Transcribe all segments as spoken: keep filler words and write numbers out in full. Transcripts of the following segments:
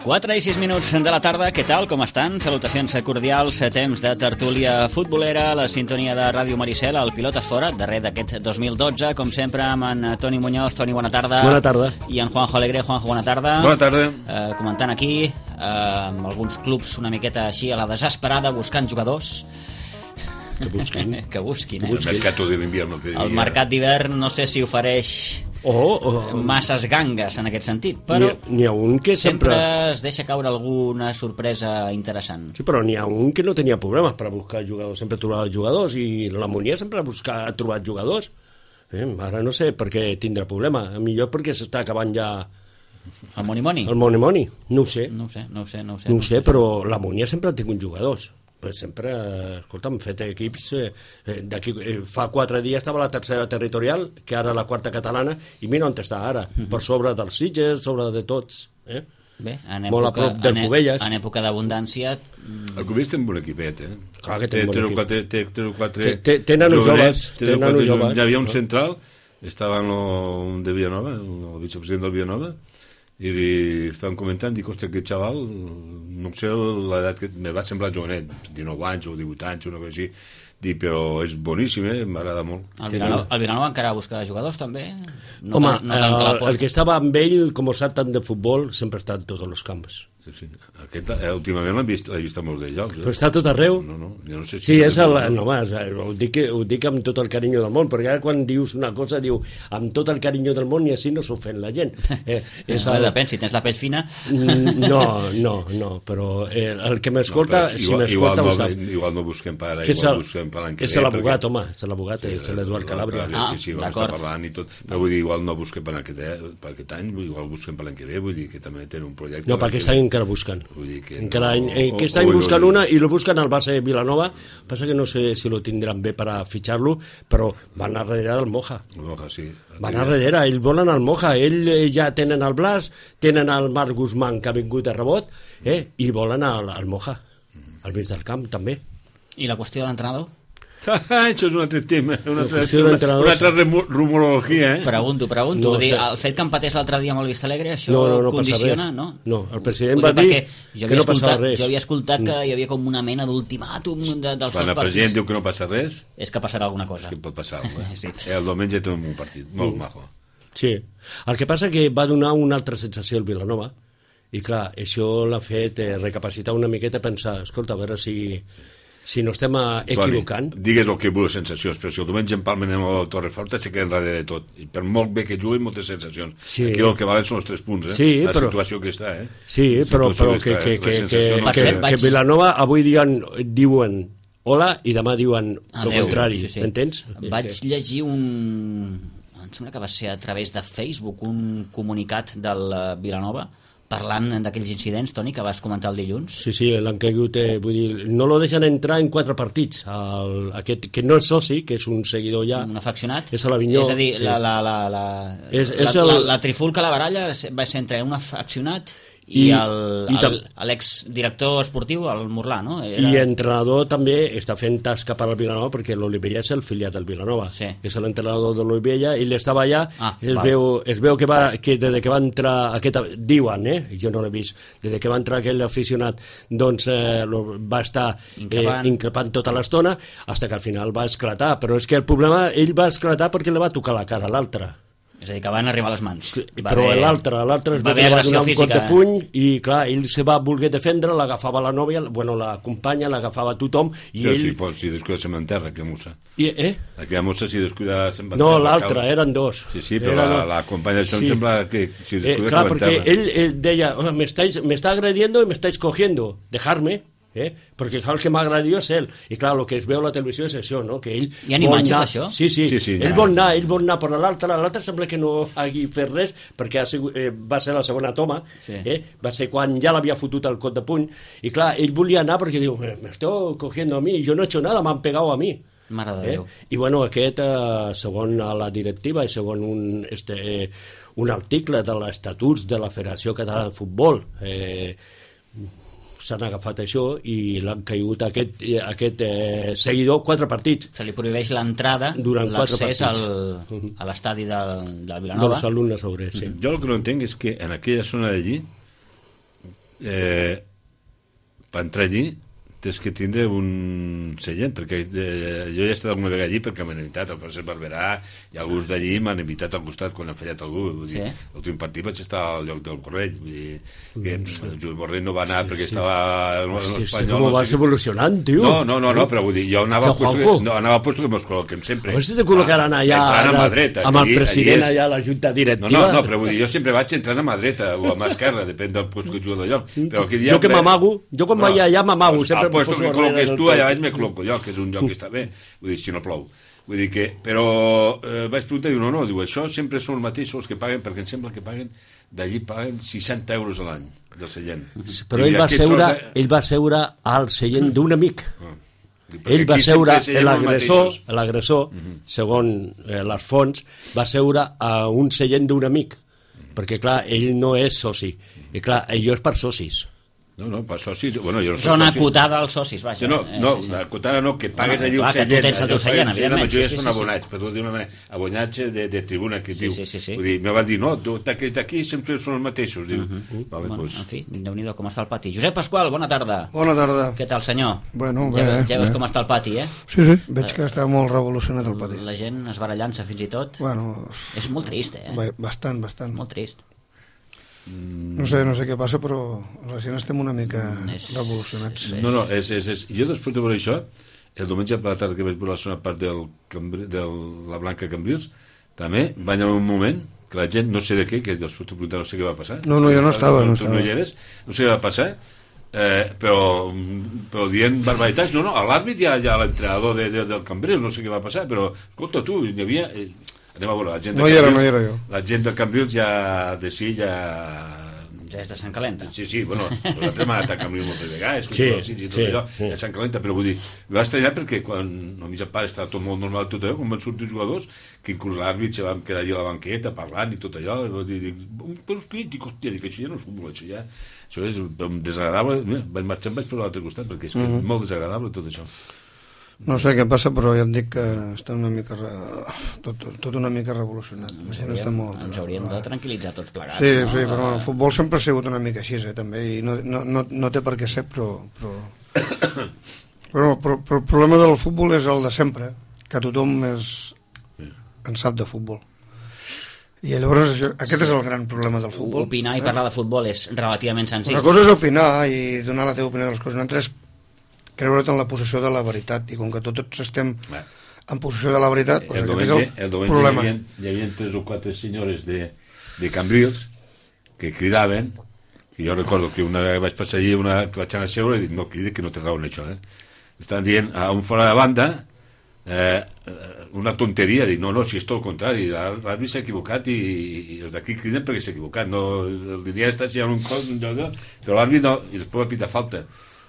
quatre i sis minuts de la tarda, què tal, com estan? Salutacions cordials, temps de tertúlia futbolera, la sintonia de Ràdio Maricel, el Pilotes Fora, darrer d'aquest dos mil dotze, com sempre, amb en Toni Muñoz. Toni, bona tarda. Bona tarda. I en Juanjo Alegre. Juanjo, bona tarda. Bona tarda. Eh, comentant aquí, eh, amb alguns clubs una miqueta així a la desesperada, buscant jugadors. Que busquin. que busquin, eh? El mercat de l'invierno. Que el mercat d'hivern no sé si ofereix Oh, oh, masses gangues en aquest sentit, però n'hi ha un que sempre, sempre es deixa caure alguna sorpresa interessant. Sí, però n'hi ha un que no tenia problemes per buscar jugadors, sempre trobava jugadors, i la Munier sempre ha, buscat, ha trobat jugadors. Eh? Ara no sé per què tindrà problema, a millor perquè s'està acabant ja El Moni Moni? el Moni Moni, no ho sé. No ho sé, no ho sé. No ho sé, No no ho sé, però la Munier sempre ha tingut jugadors. Pues sempre, escolta, hem fet equips eh, d'aquí, eh, fa quatre dies estava la tercera territorial, que ara la quarta catalana, i mira on està ara, uh -huh. per sobre dels Sitges, sobre de tots, eh? Bé, en molt a època, prop del en, Cubelles. en època d'abundància... El Cubelles té un bon equipet, eh? Clar que té un bon Té equip. quatre, té, té quatre Té- tenen uns joves, té tenen quatre uns joves. Hi havia un No? central, estava en lo, un de Villanova, el vicepresident del Villanova, i li estaven comentant, dic, hòstia, aquest xaval, no sé l'edat que me va semblar jovenet, dinou anys o divuit anys o una cosa així, dic, però és boníssim, eh? M'agrada molt. El Vilanova, el Vilanova encara busca jugadors, també? No Home, tan, no tant que la el, porta. el que estava amb ell, com sap tant de futbol, sempre està en tots els camps. Sí, sí. Aquest, eh, últimament l'he vist, l'he vist a molts de llocs. Eh? Però està a tot arreu. No, no, jo no sé si... Sí, és el, no, home, ho, dic, ho dic amb tot el carinyo del món, perquè ara quan dius una cosa, diu amb tot el carinyo del món, i així no s'ofèn la gent. Eh, és el... Depèn, si tens la pell fina... No, no, no, però eh, el que m'escolta, no, si igual, m'escolta igual, ho sap. no, igual no busquem per ara, Que és igual el- busquem per l'any que És ve, l'abogat, perquè- home, és l'abogat, és l'Eduard Calabria. Ah, sí, sí, vam d'acord. estar parlant i tot, però vull dir, igual no busquem per aquest, per aquest any, igual busquem per l'any que ve, vull dir que també tenen un projecte... No, per aquest any encara busquen. Vull dir que Encara any, no- eh, aquest o- any o- busquen o- una i lo busquen al base Vilanova. Passa que no sé si lo tindran bé per a fitxar-lo, però van a darrere del Moja. Moja, sí. Van a darrere, ells volen el Moja. Ell eh, ja tenen el Blas, tenen el Marc Guzmán, que ha vingut de rebot, eh, i volen el, el Moja. Al mig del camp, també. I la qüestió de l'entrenador? Això és un altre tema, una altra, qüestió una, d'entrenadors. una altra remo- rumorologia, eh? Pregunto, pregunto. No Vull dir, sé. el fet que empatés l'altre dia amb el Vista Alegre, això No, no, no passa condiciona, res. no? No, el president Vull va dir perquè jo que havia no passava escoltat, res. jo havia escoltat que hi havia com una mena d'ultimàtum de, dels Quan dos el president partits. diu que no passa res, És que passarà alguna cosa. és que pot passar alguna Sí. cosa. Eh, el diumenge tenim un partit, molt Mm. majo. Sí. El que passa que va donar una altra sensació al Vilanova, i clar, això l'ha fet eh, recapacitar una miqueta, pensar, escolta, a veure si, si no estem eh, equivocant. Toni, digues el que vulguis sensacions, però si el diumenge en Palmen amb el Torreforta se queda enrere de tot. I per molt bé que jugui, moltes sensacions. Sí. Aquí el que valen són els tres punts, eh? Sí, la però- situació que està, eh? Sí, La però, situació però que, està, que, eh? que, La sensació que, no que, sé. vaig- que Vilanova avui diuen, diuen hola i demà diuen el Adéu. contrari, Sí, sí. m'entens? Vaig llegir un... Em sembla que va ser a través de Facebook un comunicat del eh, Vilanova parlant d'aquells incidents, Toni, que vas comentar el dilluns. Sí, sí, l'han caigut, eh, vull dir, no lo deixen entrar en quatre partits, el, aquest, que no és soci, que és un seguidor ja, Un afeccionat. és a l'Avinyó. És a dir, sí. la, la, la, la, És- és la, el- la, la trifulca, la baralla, va ser entre un afeccionat i, I- el, i tam- el, l'exdirector esportiu, el Morlà, no? I l'entrenador també està fent tasca per al Vilanova, perquè l'Olivella és el filiat del Vilanova, Sí. és l'entrenador de l'Olivella, i ell estava allà, Ah, es, val. veu, es veu que, va, que des que va entrar aquest, diuen, eh? jo no l'he vist, des que va entrar aquell aficionat, doncs eh, lo, va estar Increpant. eh, increpant tota l'estona, fins que al final va esclatar, però és que el problema, ell va esclatar perquè li va tocar la cara a l'altre. És a dir, que van arribar a les mans. Va Però haver- l'altre, l'altre es va va, haver va agressió donar un cop física. de puny i clar, ell se va voler defendre, l'agafava la nòvia, bueno, la companya, l'agafava tothom i Sí, ell... sí, pot, si descuida se m'enterra, aquella mossa. I, eh? Aquella mossa, si descuida se m'enterra. No, l'altre, cau. eren dos. Sí, sí, però Eren la, dos. la companya d'això Sí. em sembla que si Eh, descuida clar, se perquè m'enterra. ell, ell deia, oh, me, estáis, me está agrediendo y me estáis cogiendo, dejarme, eh? perquè clar, el que m'ha agredit és ell. I clar, el que es veu a la televisió és això, no? Que ell Hi ha vol imatges anar- d'això? Sí, sí, Sí, sí, ell ja. vol anar, ell vol anar, però l'altre, l'altre sembla que no hagi fet res, perquè ha sigut, eh, va ser la segona toma, Sí. eh? va ser quan ja l'havia fotut el cot de puny, i clar, ell volia anar perquè diu, me me estoy cogiendo a mi, yo no he hecho nada, m'han pegado a mi. Mare de Eh? Déu. I bueno, aquest, eh, segons la directiva i segons un, este, eh, un article de l'Estatuts de la Federació Catalana de Futbol, eh, s'han agafat això i l'han caigut aquest, aquest eh, seguidor quatre partits. Se li prohibeix l'entrada, Durant quatre l'accés al, partits. a l'estadi del, del Vilanova. Dels alumnes obrers, sí. Jo el que no entenc és que en aquella zona d'allí eh, per entrar allí tens que tindre un seient, perquè eh, jo ja he estat alguna vegada allí perquè m'han invitat al Francesc Barberà i alguns d'allí m'han invitat al costat quan han fallat algú. Vull dir, sí. L'últim partit vaig estar al lloc del Borrell, vull dir que mm. el Joel Borrell no va anar sí, perquè sí. estava en l'Espanyol. Sí, com no vas sé evolucionant, tio. No, no, no, no, però vull dir, jo anava al puesto que, no, anava al puesto que mos col·loquem sempre. A veure si te col·locaran allà a mà dreta, amb el president és... allà a la junta directiva. No, no, no, però vull dir, jo sempre vaig entrant a mà dreta o a mà esquerra, depèn del puesto que jugo del lloc. Però aquell dia jo que m'amago, jo quan vaig allà m'amago, sempre al puesto que col·loques tu, allà vaig me col·loco jo, que és un lloc que està bé, vull dir, si no plou. Vull dir que, però eh, vaig preguntar i diu, no, no, diu, això sempre són els mateixos que paguen, perquè em sembla que paguen, d'allí paguen seixanta euros a l'any del seient. Però ell va, seure, de... ell va seure al seient d'un amic. Ah. Ell va seure, l'agressor, l'agressor, uh -huh. segons eh, les fonts, va seure a un seient d'un amic, uh -huh. perquè, clar, ell no és soci, i clar, ell és per socis. No, no, per socis... Bueno, jo no Zona acotada als socis, vaja. Sí, no, no, sí, sí. acotada no, que pagues allí un seient. Que tu tens el teu seient, evidentment. La majoria són abonats, per dir una manera, abonats de, de tribuna, que es sí, diu. Sí, sí, sí. Vull dir, me van dir, no, aquests d'aquí sempre són els mateixos, diu. Uh -huh. vale, bueno, pues... En fi, déu-n'hi-do com està el pati. Josep Pasqual, bona tarda. Bona tarda. Què tal, senyor? Bueno, bé, ja, ja veus bé. com està el pati, eh? Sí, sí, veig que està molt revolucionat el pati. La gent es barallant-se fins i tot. Bueno... És molt trist, eh? Bastant, bastant. Molt trist. No sé, no sé què passa, però la gent estem una mica és, revolucionats. No, no, és, és, és... jo després de veure això, el diumenge per la tarda que vaig veure la segona part del, de la Blanca Cambrils, també va haver un moment que la gent, no sé de què, que després t'ho preguntar, no sé què va passar. No, no, jo no estava, no estava. No hi eres, no sé què va passar, eh, però, però dient barbaritats, no, no, a l'àrbit hi ha, hi ha l'entrenador de, de, del Cambrils, no sé què va passar, però, escolta, tu, hi havia... Eh, anem a veure, la gent de no Cambrils, hi era, no hi era jo. La gent de Cambrils ja de sí, ja... Ja és de Sant Calenta. Sí, sí, bueno, nosaltres hem anat a Cambrils moltes vegades, sí, sí, sí, tot sí, allò, sí. a Sant Calenta, però vull dir, va estranyar perquè quan a mi ja pare estava tot molt normal tot allò, quan van sortir els jugadors, que inclús l'àrbit se van quedar allà a la banqueta parlant i tot allò, i va dir, però és que, dic, hòstia, dic, això ja no és futbol, això ja, això és desagradable, mira, vaig marxar, vaig per l'altre costat, perquè és que és molt desagradable tot això. No sé què passa, però ja et dic que està una mica re... tot, tot una mica revolucionat. Ens hauríem, està molt... ens hauríem de tranquil·litzar tots plegats. Sí, no? sí, però el futbol sempre ha sigut una mica així, eh, també, i no, no, no, no té per què ser, però... Però... però, però, però el problema del futbol és el de sempre, que tothom és... en sap de futbol. I llavors això, aquest sí. és el gran problema del futbol. Opinar i parlar de futbol és relativament senzill. Una cosa és opinar i donar la teva opinió de les coses, una altra és creure't en la possessió de la veritat, i com que tots estem Bé. en possessió de la veritat, doncs aquest és el, el problema. Hi havia, hi havia tres o quatre senyores de, de Cambrils que cridaven, que jo recordo que una vegada vaig passar allí, una que vaig anar a seure i dic, no cridi, que no té raó en això, eh? Estan dient a un fora de banda eh, una tonteria, dic, no, no, si és tot el contrari, l'àrbit s'ha equivocat i, i els d'aquí criden perquè s'ha equivocat, no, el diria està si hi ha un cos, un lloc, però l'àrbit no, i després va pitar falta.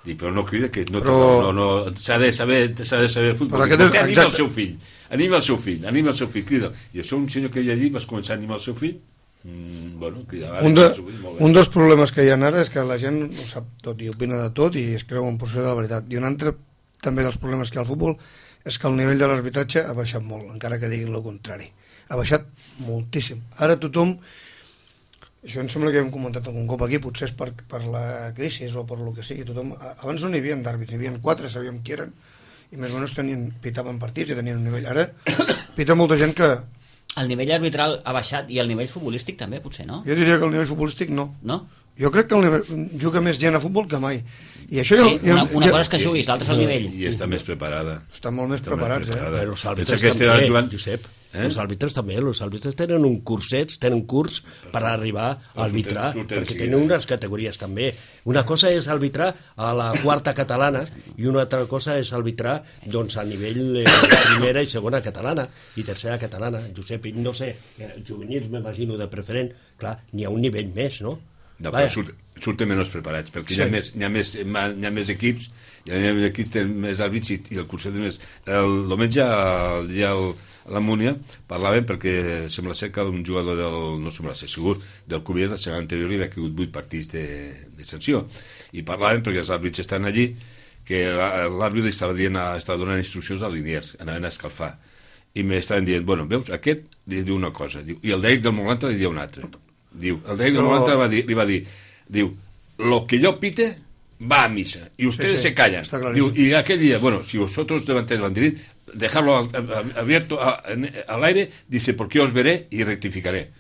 I, però no crida que no, però... no, no, s'ha de saber s'ha de saber el futbol, és... anima exacte. el seu fill anima el seu fill, anima el seu fill crida. I això un senyor que hi ha allí vas començar a animar el seu fill mm, bueno, cridava un, de, fill, un dels problemes que hi ha ara és que la gent ho sap tot i opina de tot i es creu en possessió de la veritat, i un altre també dels problemes que hi ha al futbol és que el nivell de l'arbitratge ha baixat molt, encara que diguin el contrari, ha baixat moltíssim. Ara tothom, això em sembla que hem comentat algun cop aquí, potser és per, per la crisi o per lo que sigui, tothom, abans no n'hi havia d'àrbits, n'hi havia quatre, sabíem qui eren, i més o menys tenien, pitaven partits i tenien un nivell. Ara pita molta gent que... El nivell arbitral ha baixat i el nivell futbolístic també, potser, no? Jo diria que el nivell futbolístic no. No? Jo crec que el nivell, juga més gent a futbol que mai. I això sí, ja, una, una ja, cosa és que juguis, l'altra és el nivell. I està més preparada. Està molt més està preparats, més preparada. eh? Però els àrbitres també, jugant... Josep, eh? els àrbitres també, els àrbitres tenen un cursets, tenen curs per arribar a arbitrar, perquè tenen unes categories també. Una cosa és arbitrar a la quarta catalana i una altra cosa és arbitrar doncs, a nivell eh, primera i segona catalana i tercera catalana. Josep, no sé, juvenils m'imagino de preferent, clar, n'hi ha un nivell més, no? No, però surt, surten menys preparats, perquè sí. hi, ha més, hi, ha més, hi ha més equips, hi ha més equips, tenen més àrbits i, i el curset és més... El diumenge, el dia a la Múnia, parlaven perquè sembla ser que un jugador del... no sembla ser segur, del Cubier, la setmana anterior hi havia caigut vuit partits de, de sanció. I parlaven perquè els àrbits estan allí, que l'àrbit estava, dient, estava donant instruccions a Liniers, anaven a escalfar. I m'estaven dient, bueno, veus, aquest li diu una cosa, diu, i el d'ell del Molantra li diu una altra. Diu, el David no. va dir, li va dir, diu, lo que yo pite va a misa y ustedes sí, sí, se callan. Digo, y aquel día, bueno, si vosotros levantáis el banderín, dejarlo abierto a, a, al aire, dice, porque os veré y rectificaré.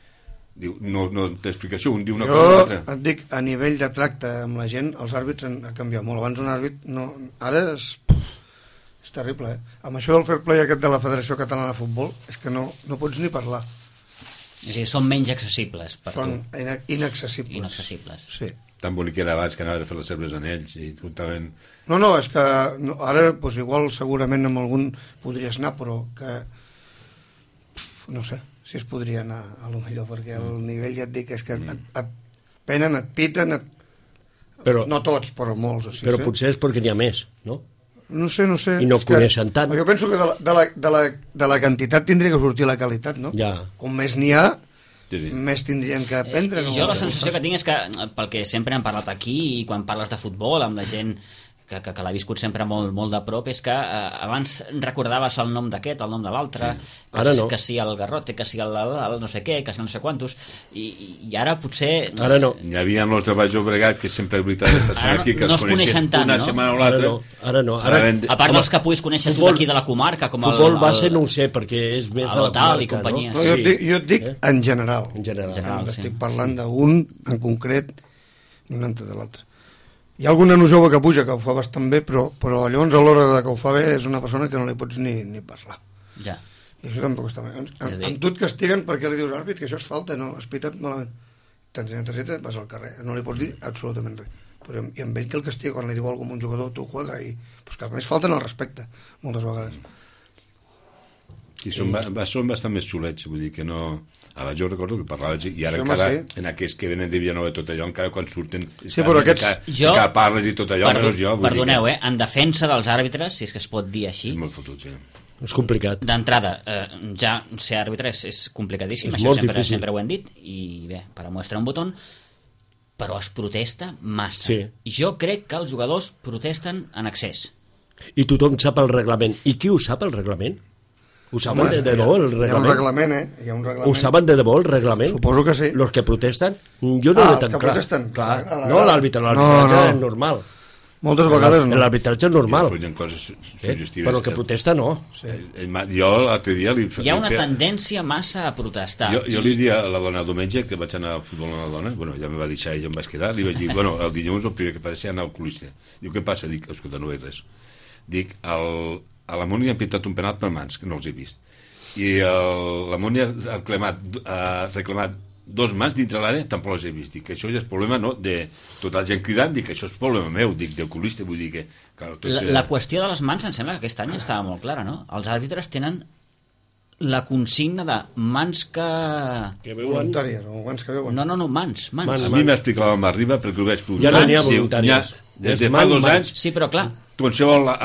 Diu, no, no t'explicació, un diu una jo cosa o l'altra. et dic, a nivell de tracte amb la gent, els àrbits han, han canviat molt. Abans un àrbit, no, ara és, és terrible, eh? Amb això del fair play aquest de la Federació Catalana de Futbol, és que no, no pots ni parlar. És a dir, són menys accessibles per Són tu. ina inaccessibles. Inaccessibles. Sí. Tan bonic era abans que anaven a fer les cerves en ells i comptaven... No, no, és que no, ara doncs, igual segurament amb algun podries anar, però que no sé si es podria anar a lo millor, perquè el nivell ja et dic és que et, et penen, et piten, et... Però, no tots, però molts. O sigui, però sí? potser és perquè n'hi ha més, no? No sé, no sé. I no és que, coneixen tant. Jo penso que de la, de, la, de, la, de la quantitat tindria que sortir la qualitat, no? Ja. Com més n'hi ha, Sí, sí. més tindrien que aprendre. Eh, no? jo la sensació que tinc és que, pel que sempre hem parlat aquí i quan parles de futbol amb la gent que, que, que l'ha viscut sempre molt, molt de prop, és que eh, abans recordaves el nom d'aquest, el nom de l'altre, Sí. que, Ara no. que si el Garrote, que si el, el, el no sé què, que si no sé quantos, i, i ara potser... Ara no. Hi havia els de Baix Llobregat que sempre, de veritat, estaven Ara no- aquí, que no els es coneixen tant, una no? setmana o Ara l'altra. no, ara no. Ara, Anaven de- A part Home, dels que puguis conèixer tu futbol- d'aquí de la comarca, com futbol el... base el, no ho sé, perquè és més el de la Lotal i comarca, companyia, no? No, jo, et dic, jo et dic Eh? en general. En general. En general. No sí. estic parlant d'un en concret ni un altre de l'altre. Hi ha algun nano jove que puja que ho fa bastant bé, però, però llavors a l'hora de que ho fa bé és una persona que no li pots ni, ni parlar. Ja. I això tampoc està bé. En, en, És a dir- en tu et castiguen perquè li dius àrbit que això és falta, no, has pitat malament. T'ensenya targeta, vas al carrer, no li pots dir absolutament res. Però, I amb ell té el castiga quan li diu alguna cosa a un jugador, tu juega, i pues que a més falten el respecte, moltes vegades. I són, ba- ba- són bastant més xulets, vull dir que no... Ara jo recordo que parlava i ara Sí, home, encara, sí. en aquests que venen de Villanova i tot allò, encara quan surten... Sí, però aquests- Encara, Jo- encara parles i tot allò, Perdo- menys jo. Vull Perdoneu, dir eh? En defensa dels àrbitres, si és que es pot dir així, que és molt fotut, sí. És complicat. d'entrada, eh, ja ser àrbitre és, és complicadíssim, És això molt sempre, difícil. sempre ho hem dit, i bé, per a mostrar un botó, però es protesta massa. Sí. Jo crec que els jugadors protesten en excés. I tothom sap el reglament. I qui ho sap, el reglament? Ho saben Home, de debò, el Hi ha un reglament? reglament, eh? Hi ha un reglament. Ho saben de debò, el reglament? Suposo que sí. Los que protesten? Jo no Ah, ho he els tan que clar. protesten. Clar. A la- No l'àrbitre, No, l'arbitratge no. és normal. Moltes vegades no. L'arbitratge és normal. I després hi ha coses Eh? suggestives. Però el que protesta no. Eh, eh, ma- Jo l'altre dia li... Hi ha una li feia- tendència massa a protestar. Jo, jo li dic a la dona el diumenge que vaig anar al futbol amb la dona, bueno, ja me va deixar i jo em vaig quedar, li vaig dir, bueno, el dilluns el primer que faré serà anar al oculista. Diu, què passa? Dic, escolta, no veig res. Dic, el, a la Múnia han pintat un penal per mans, que no els he vist. I el, la Múnia ha reclamat, ha reclamat dos mans dintre l'àrea, tampoc les he vist. Dic que això ja és problema, no?, de tota la gent cridant, dic que això és problema meu, dic, d'oculista, vull dir que... Clar, tot La, se- la qüestió de les mans em sembla que aquest any estava molt clara, no? Els àrbitres tenen la consigna de mans que... Que veuen... Voluntàries, o abans que veuen. No, no, no, mans, mans. Mans. A mi m'explicava amb Arriba, perquè ho vaig provar. Ja no n'hi ha Sí, voluntàries. Des És de fa mans, dos mans. anys, Sí, però clar, qualsevol a,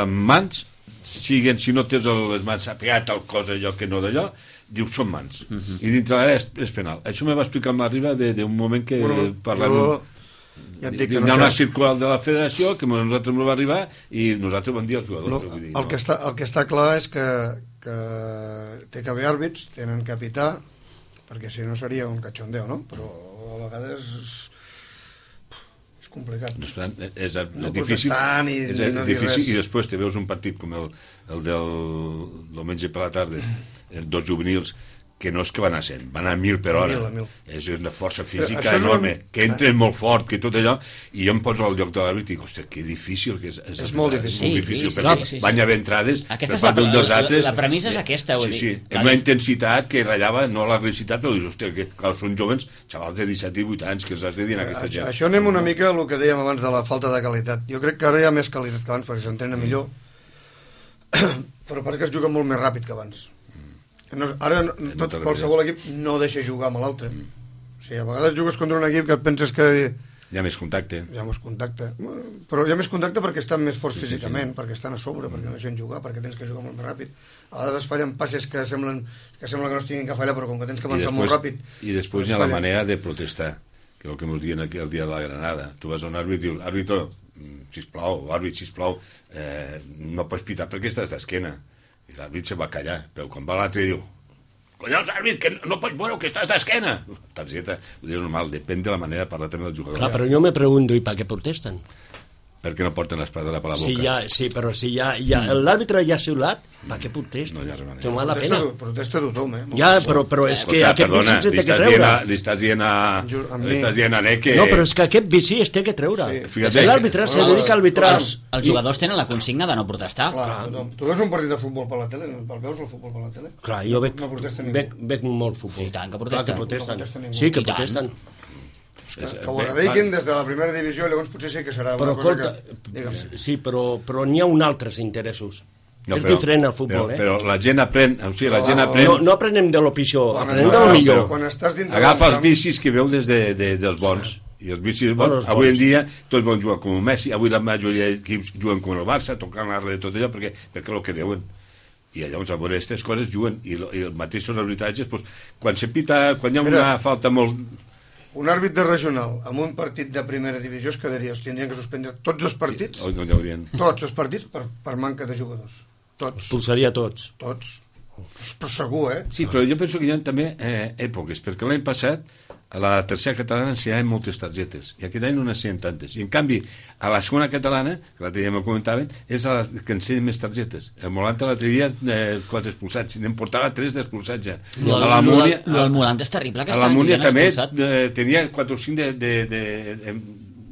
a mans, siguen, si no tens el, les mans apegat al cos allò que no d'allò, dius són mans. Uh -huh. I dintre l'àrea és, és penal. Això me va explicar amb Arriba d'un moment que Bueno, parlant... jo ja et dic que hi no ha una sé. circular de la federació que a nosaltres no va arribar i nosaltres vam dir als jugadors. No, vull dir, el, que està, el que està clar és que, que té que haver àrbits, tenen que pitar, perquè si no seria un cachondeo, no? Però a vegades és, és complicat. No, és, és, és No difícil, protestar ni- és, ni no dir difícil res. i després te veus un partit com el, el del diumenge per la tarda, eh, dos juvenils que no és que van a cent, van a mil per A hora. mil, a mil. És una força Però física això és enorme, una- que entren molt fort, que tot allò, i jo em poso al lloc de l'àrbit i dic, hòstia, que difícil que és. És, És molt És difícil. molt Sí, difícil, sí, perquè sí, sí, van sí. haver entrades Aquesta per és part la- d'un dels la- altres. la premissa és aquesta, vull sí, dir. Sí, La- amb una intensitat que ratllava, no l'agressivitat, però dius, hòstia, que clar, són jovens, xavals de disset i divuit anys, que els has de dir a aquesta Això, gent. això anem una mica al que dèiem abans de la falta de qualitat. Jo crec que ara hi ha més qualitat que abans perquè s'entrena millor, però passa que es juga molt més ràpid que abans. No, ara no, no tot, té qualsevol equip no deixa jugar amb l'altre. O sigui, a vegades jugues contra un equip que et penses que Hi ha més contacte. hi ha més contacte, però hi ha més contacte perquè estan més forts Sí, sí, sí. físicament, perquè estan a sobre, perquè no deixen jugar, perquè tens que jugar molt més ràpid. A vegades es fallen passes que semblen que sembla que no es tinguin que fallar, però com que tens que I avançar després, molt ràpid... i després doncs hi ha la fallen. manera de protestar, que és el que ens diuen aquí el dia de la Granada. Tu vas a un àrbit i dius, àrbitro, sisplau, àrbit, sisplau, eh, no pots pitar perquè estàs d'esquena. I l'àrbit se va callar, però quan va l'altre diu, collons, àrbit, que no pots veure que estàs d'esquena. Targeta, ho dius normal, depèn de la manera de parlar també del jugador. Clar, però jo me pregunto, i per què protesten? Perquè no porten l'espadera per la boca. Si ja, sí, però si ja, ja l'àrbitre ja ha xiulat, per què protesta? No hi ha res manera. No val la Protesta, pena. protesta tothom, eh? Ja, però, però és que Escolta, aquest perdona, vici se li té que estàs dient treure. a, li estàs dient a, A mi. li estàs dient a Neke... No, però és que aquest vici es té que treure. Sí. Fíjate. L'àrbitre se Bueno, dedica a arbitrar. Els, els jugadors tenen la consigna de no protestar. Clar, tothom. Tu veus un partit de futbol per la tele? El veus el futbol per la tele? Clar, jo veig, No protesta ningú. veig, veig molt futbol. Sí, i tant que Clar protesten. que protesten. No protesta ningú. Sí, que I tant. protesten. Que, que ho erradiquin des de la primera divisió i llavors potser sí que serà Però, una cosa escolta, que... Digue'm. sí, però, però n'hi ha un altres interessos. No, és però- diferent al futbol, però, eh? Però la gent aprèn, o sigui, la gent No, aprèn... No, no aprenem de lo pitjor, Quan aprenem de estàs- lo millor. Quan estàs dintre Agafa del els camp- vicis que veu des de, de, dels bons. I els vicis Bueno, bons, els avui bons. en dia tots volen jugar com Messi, avui la majoria d'equips juguen com el Barça, tocant l'arre de tot allò, perquè, perquè el que veuen. I llavors a veure aquestes coses juguen. I, lo- i els mateixos arbitratges, doncs, quan se pita, quan hi ha una Mira. falta molt... Un àrbit de regional amb un partit de primera divisió es quedaria, es tindrien que suspendre tots els partits, Sí, no hi haurien... tots els partits per, per manca de jugadors. Tots, Expulsaria tots. tots. Però segur, eh? Sí, però jo penso que hi ha també eh, èpoques, perquè l'any passat a la tercera catalana s'hi ha moltes targetes, i aquest any no n'hi ha tantes. I en canvi, a la segona catalana, que l'altre dia m'ho comentaven, és la que ensenyen més targetes. El Molanta l'altre dia, eh, quatre expulsats, n'en portava tres d'expulsats ja. Lo, A la lo, Múnia, lo, el Molant és terrible, a aquest la any. Múnia ja n'ha també expulsat. eh, tenia quatre o cinc de, de, de, de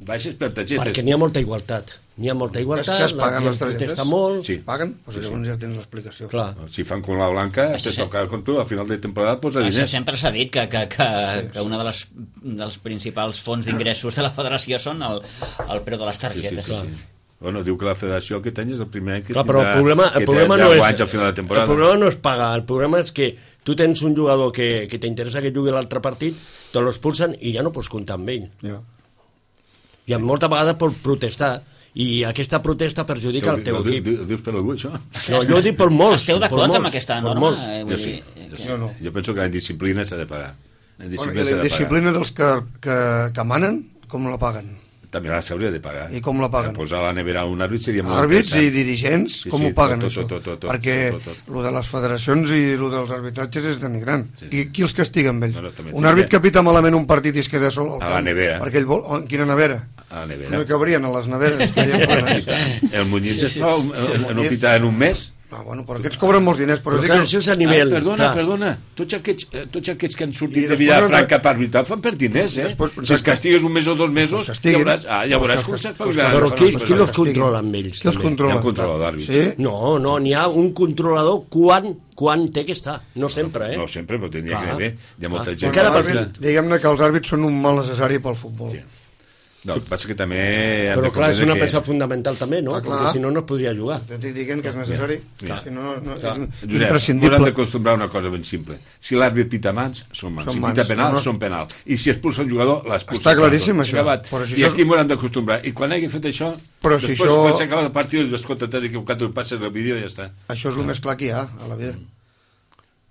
baixes per targetes. Perquè n'hi ha molta igualtat. N'hi ha molta És igualtat, que es paguen la les gent targetes? protesta molt. Sí. Es paguen? Doncs llavors ja tens l'explicació. Clar. Si fan com la Blanca, Això te sí. toca com tu, a final de temporada posa Això diners. sempre s'ha dit que, que, que, que una de les, dels principals fonts d'ingressos de la federació són el, el preu de les Sí, sí, targetes. sí, sí. Bueno, diu que la federació aquest any és el primer any que Clar, però el tindrà, problema, que el problema tindrà no deu és anys al final de el temporada. problema no és pagar, el problema és que tu tens un jugador que, que t'interessa que jugui l'altre partit, te l'expulsen i ja no pots comptar amb ell. Ja. I en molta vegada pots protestar i aquesta protesta perjudica el teu Ho diu- equip. ho dius per algú, això? No, jo ho dic per molts. Esteu per d'acord molts, amb aquesta per norma? molts. Eh, Jo vull sí. dir, Jo, que- sí. Jo no. Jo penso que la indisciplina s'ha de pagar. La Bueno, indisciplina I s'ha la de pagar. disciplina dels que, que, que manen, com la paguen? També la s'hauria de pagar. I com la paguen? Posar a la nevera un àrbit seria molt Àrbits i interessant. dirigents, Sí, com sí, ho paguen, tot, això? tot, tot, tot, Perquè tot, tot. lo de les federacions i lo dels arbitratges és denigrant. Sí. I qui els castiga amb ells? No, no, també un sí, àrbit ja. que pita malament un partit i es queda sol al A la camp, nevera. perquè ell vol... oh, en quina nevera? A la No nevera. hi cabrien a les neveres, estarien plenes. El Muñiz es fa un- El en un Muñiz. pità en un mes. Ah, bueno, però aquests cobren molts diners. Però, Però dic clar, que- això és a nivell... Ah, perdona, clar. perdona. Tots aquests, eh, tots aquests que han I sortit de després Vilafranca han- per arbitrar fan per diners, eh? Després- Si els castigues un mes o dos mesos, Els ja castiguin. veuràs, ah, ja veuràs Els com cas- s'espavilaran. Però els qui, cas- qui els castiguin. controla amb ells? Qui els també? controla? Hi ha un controlador d'àrbits. Sí? No, no, n'hi ha un controlador quan, quan té que estar. No sempre, eh? No sempre, però tindria Clar. que haver. Hi ha molta Clar. gent. Encara que- per- L'àrbit, diguem-ne que els àrbits són un mal necessari pel futbol. Sí. No, el que passa que també... hem Però de clar, és comprendre una que- peça fundamental també, no? Ah, clar. Perquè si no, no es podria jugar. T'estic dient que és necessari. Clar. Si no, no, Clar. és Josep, ens hem imprescindible. d'acostumbrar a una cosa ben simple. Si l'àrbit pita mans, són mans. Són Si mans. pita penal, No, no. són penal. I si expulsa un jugador, l'expulsa. Està claríssim, això. Acabat. Però si I això- aquí m'ho hem d'acostumbrar. I quan hagi fet això, Però si després, això- quan s'acaba el partit, dius, escolta, t'has equivocat, tu passes el vídeo i ja està. Això és el més clar que hi ha a la vida.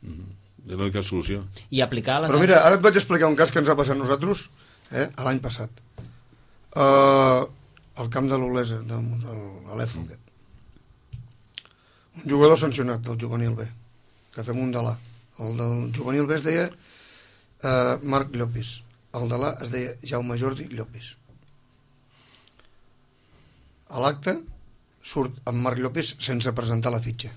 És l'única solució. I aplicar la... Però mira, ara et vaig explicar un cas que ens ha passat a nosaltres eh, a l'any passat. Uh, al camp de l'Olesa, de, a l'E F O. Mm. Un jugador sancionat del juvenil B, que fem un de l'A. El del juvenil B es deia uh, Marc Llopis. El de l'A es deia Jaume Jordi Llopis. A l'acte surt en Marc Llopis sense presentar la fitxa.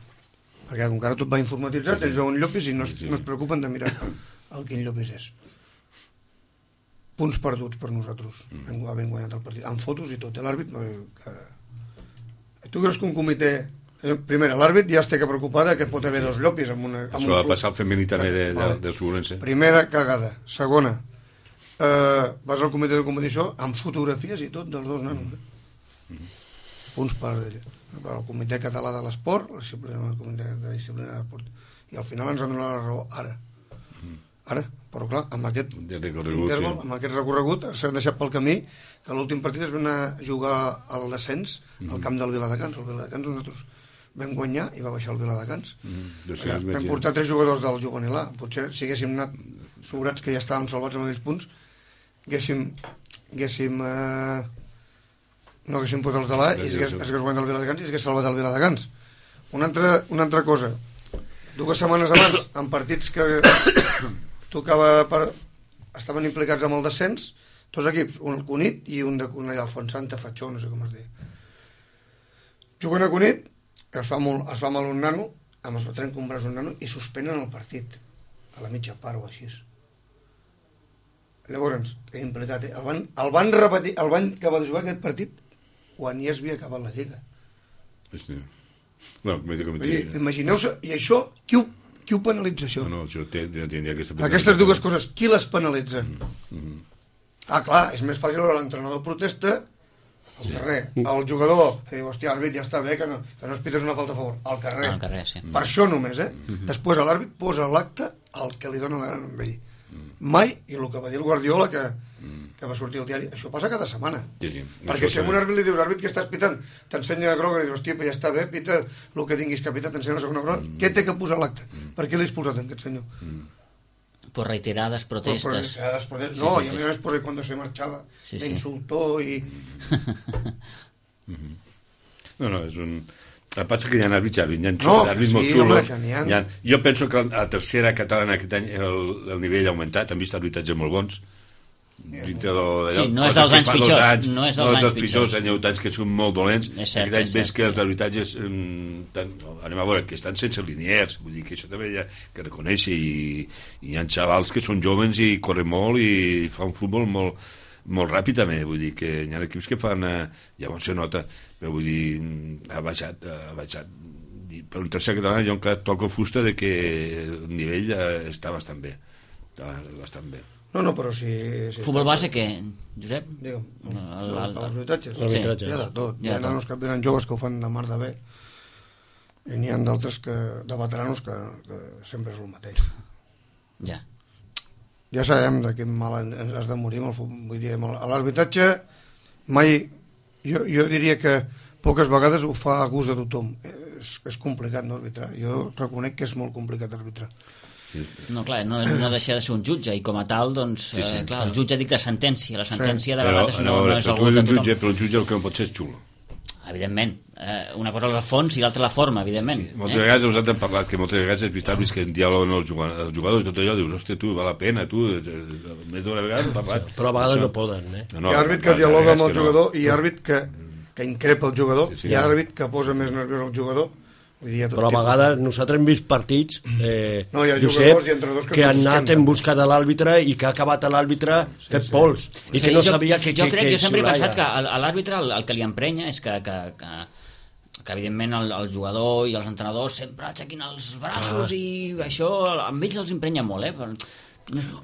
Perquè com que ara tot va informatitzat, ells veuen Llopis i no es, no es preocupen de mirar el quin Llopis és. Punts perduts per nosaltres. Hem, havent guanyat el partit. Amb fotos i tot. eh, L'àrbit... no, Que... Tu creus que un comitè... eh, Primera, l'àrbit ja es té que preocupar de que pot haver dos Llopis amb una... Amb Això va un club. passar al femení també de, de, Vale. de Sobrense. Primera cagada. Segona, eh, vas al comitè de competició amb fotografies i tot dels dos nanos. Eh? Punts per, per al comitè català de l'esport, la disciplina, el comitè de disciplina de l'esport. I al final ens han donat la raó ara. Ara, però clar, amb aquest De recorregut, interval, sí. amb aquest recorregut s'ha deixat pel camí que l'últim partit es va anar a jugar al descens al camp del Viladecans. El Viladecans nosaltres vam guanyar i va baixar el Viladecans. Mm, Allà, vam portar tres jugadors del juvenil A. Potser si haguéssim anat sobrats que ja estàvem salvats amb aquells punts, haguéssim, haguéssim eh, no haguéssim pot els de l'A i es hagués, es hagués guanyat el Viladecans i es hagués salvat el Viladecans. Una altra, una altra cosa, dues setmanes abans, en partits que tocava per... estaven implicats amb el descens, dos equips, un al Cunit i un de Cornellà, el Fontsanta Fatxó, no sé com es diu. Juguen a Cunit, es fa, molt, es fa mal un nano, amb els veterans comprar un nano, i suspenen el partit, a la mitja part o així. Llavors, implicat, eh? el, van, el van repetir, el van acabar de jugar aquest partit quan ja es havia acabat la lliga. Sí. No, dir, imagineu-se, i això, qui ho, qui ho penalitza, això? No, no, això tindria aquesta... Aquestes dues coses, qui les penalitza? Mm -hmm. Ah, clar, és més fàcil veure l'entrenador protesta al carrer. El jugador, que diu, hòstia, àrbit, ja està bé, que no, que no es pites una falta a favor. Al carrer. Al carrer, sí. Per això només, eh? Mm -hmm. Després l'àrbit posa l'acte al que li dona la gana amb ell. Mai, i el que va dir el Guardiola, que, que va sortir al diari, això passa cada setmana. Sí, sí. Perquè si a un àrbit li dius, àrbit, què estàs pitant? T'ensenya groga, i dius, hòstia, ja està bé, pita el que tinguis que pitar, t'ensenya la segona groga. Mm. Què té que posar l'acte? Mm. Per què l'he expulsat, aquest senyor? Mm. Por reiteradas protestas. Por reiteradas protestas. No, sí, sí, y a mí sí. Después cuando se marchaba, sí, me sí. insultó y... No, no, és un... El que passa que hi ha àrbits, hi ha no, àrbits sí, molt xulos. Home, ha... ha... Jo penso que a la tercera catalana aquest any el, el nivell ha augmentat, han vist arbitratges molt bons. Dintre de, sí, no és dels anys pitjors. Anys, no és dels no anys pitjors. pitjors. Hi ha anys que són molt dolents. Cert, aquest any cert, ves que els arbitratges tan, anem a veure, que estan sense liniers, vull dir que això també hi ha que reconèixer, i, i hi ha xavals que són joves i corren molt i fan un futbol molt, molt ràpid també, vull dir que hi ha equips que fan, eh, llavors se nota, però vull dir, ha baixat, ha baixat. Per un tercer català jo encara toco fusta de que el nivell eh, està bastant bé, està bastant bé. No, no, però si... si Futbol base, què, Josep? Digue'm, el, el, el, els habitatges. Sí. Hi ha de tot. Hi ha nanos que venen joves que ho fan de mar de bé, i n'hi ha d'altres que, de veteranos que, que sempre és el mateix. Ja. Ja sabem de quin mal has de morir amb el futbol. Vull dir, a l'arbitratge mai... Jo, jo diria que poques vegades ho fa a gust de tothom. És, és complicat, no, arbitrar. Jo reconec que és molt complicat arbitrar. No, clar, no, no deixa de ser un jutge, i com a tal, doncs, sí, sí. Eh, clar, el jutge dicta sentència, la sentència sí. de vegades però, no, no, no és el gust de tothom. Jutge, però el jutge el que no pot ser és xulo. Evidentment, eh, una cosa és el fons i l'altra la forma, evidentment. Sí, sí. Moltes eh? vegades us hem parlat, que moltes vegades és vist que en diàleg el jugador, el jugador i tot allò, dius, hòstia, tu, val la pena, tu, més d'una vegada hem parlat. Sí, però a vegades no poden, eh? No, no, hi ha àrbit que dialoga amb el jugador i hi ha àrbit que, que increpa el jugador, sí, sí, hi ha àrbit que posa més nerviós el jugador. Però a vegades nosaltres hem vist partits eh, no, Josep, que, que han anat en busca de l'àrbitre i que ha acabat l'àrbitre sí, fet sí. pols i o sigui, que no jo, sabia que... Jo que, crec que, que jo sempre he pensat que a l'àrbitre el, el que li emprenya és que, que, que, que evidentment el, el jugador i els entrenadors sempre aixequin els braços ah. i això amb ells els emprenya molt, eh? Però...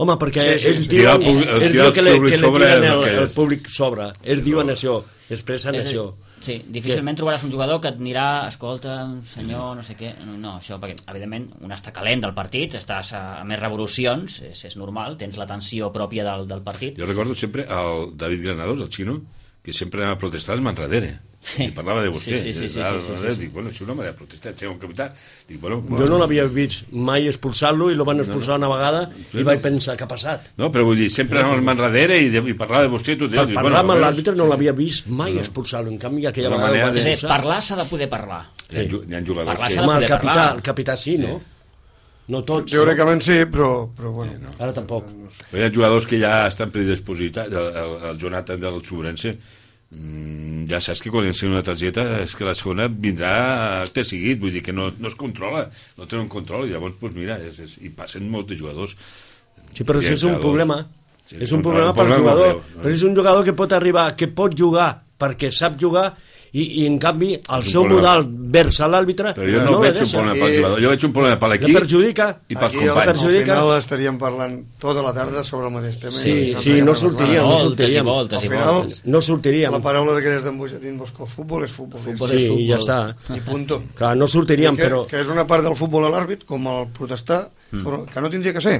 Home, perquè sí, sí, ells sí. diuen, el, el, ells diuen que, le, que le tiren el, el, el públic sobre, ells diuen això, expressen és això. Sí, difícilment que... trobaràs un jugador que et anirà, escolta, senyor, no sé què... No, això, perquè, evidentment, un està calent del partit, estàs a, a més revolucions, és, és normal, tens la tensió pròpia del, del partit. Jo recordo sempre el David Granados, el xino, que sempre anava a protestar als manradere. Sí. I parlava de vostè. Sí, sí, sí, sí, sí, sí, sí, sí. Dic, bueno, si un home ha protestat, sé un capità. Dic, bueno, jo no l'havia vist mai expulsar-lo i lo van expulsar no, no. una vegada sí, i vaig pensar què ha passat. No, però vull dir, sempre anava al manradere i, de, i parlava de vostè i tot. Per dic, parlar bueno, amb l'àrbitre no l'havia vist mai no. expulsar-lo, en canvi aquella una vegada... De... Sí, parlar s'ha de poder parlar. Hi ha, hi ha jugadors parlar que... Home, el capità, el capità sí, sí, no? No tots. Teòricament no? sí, però, però bueno. Sí, no. Ara tampoc. Però hi ha jugadors que ja estan predispositats, el, el, el Jonathan del Sobrense, Mm, ja saps que quan ensenya una targeta és que la segona vindrà té seguit, vull dir que no, no es controla, no té un control, i llavors doncs mira, és, és, i passen molts de jugadors. Sí, però això és un problema, sí, és un problema pel jugador, però és un jugador que pot arribar, que pot jugar perquè sap jugar, i, i en canvi el seu modal vers l'àrbitre però jo no, no veig un problema pel jugador, jo veig un problema per l'equip perjudica i pels companys. Al final estaríem parlant tota la tarda sobre el mateix tema sí, no sí, no sortiríem no sortiríem, voltes, al final no sortiríem la paraula d'aquelles d'en Bosco, futbol és futbol, futbol sí, és futbol. I ja està i punto. Clar, no sortiríem que, però... que és una part del futbol a l'àrbit com el protestar mm. però, que no tindria que ser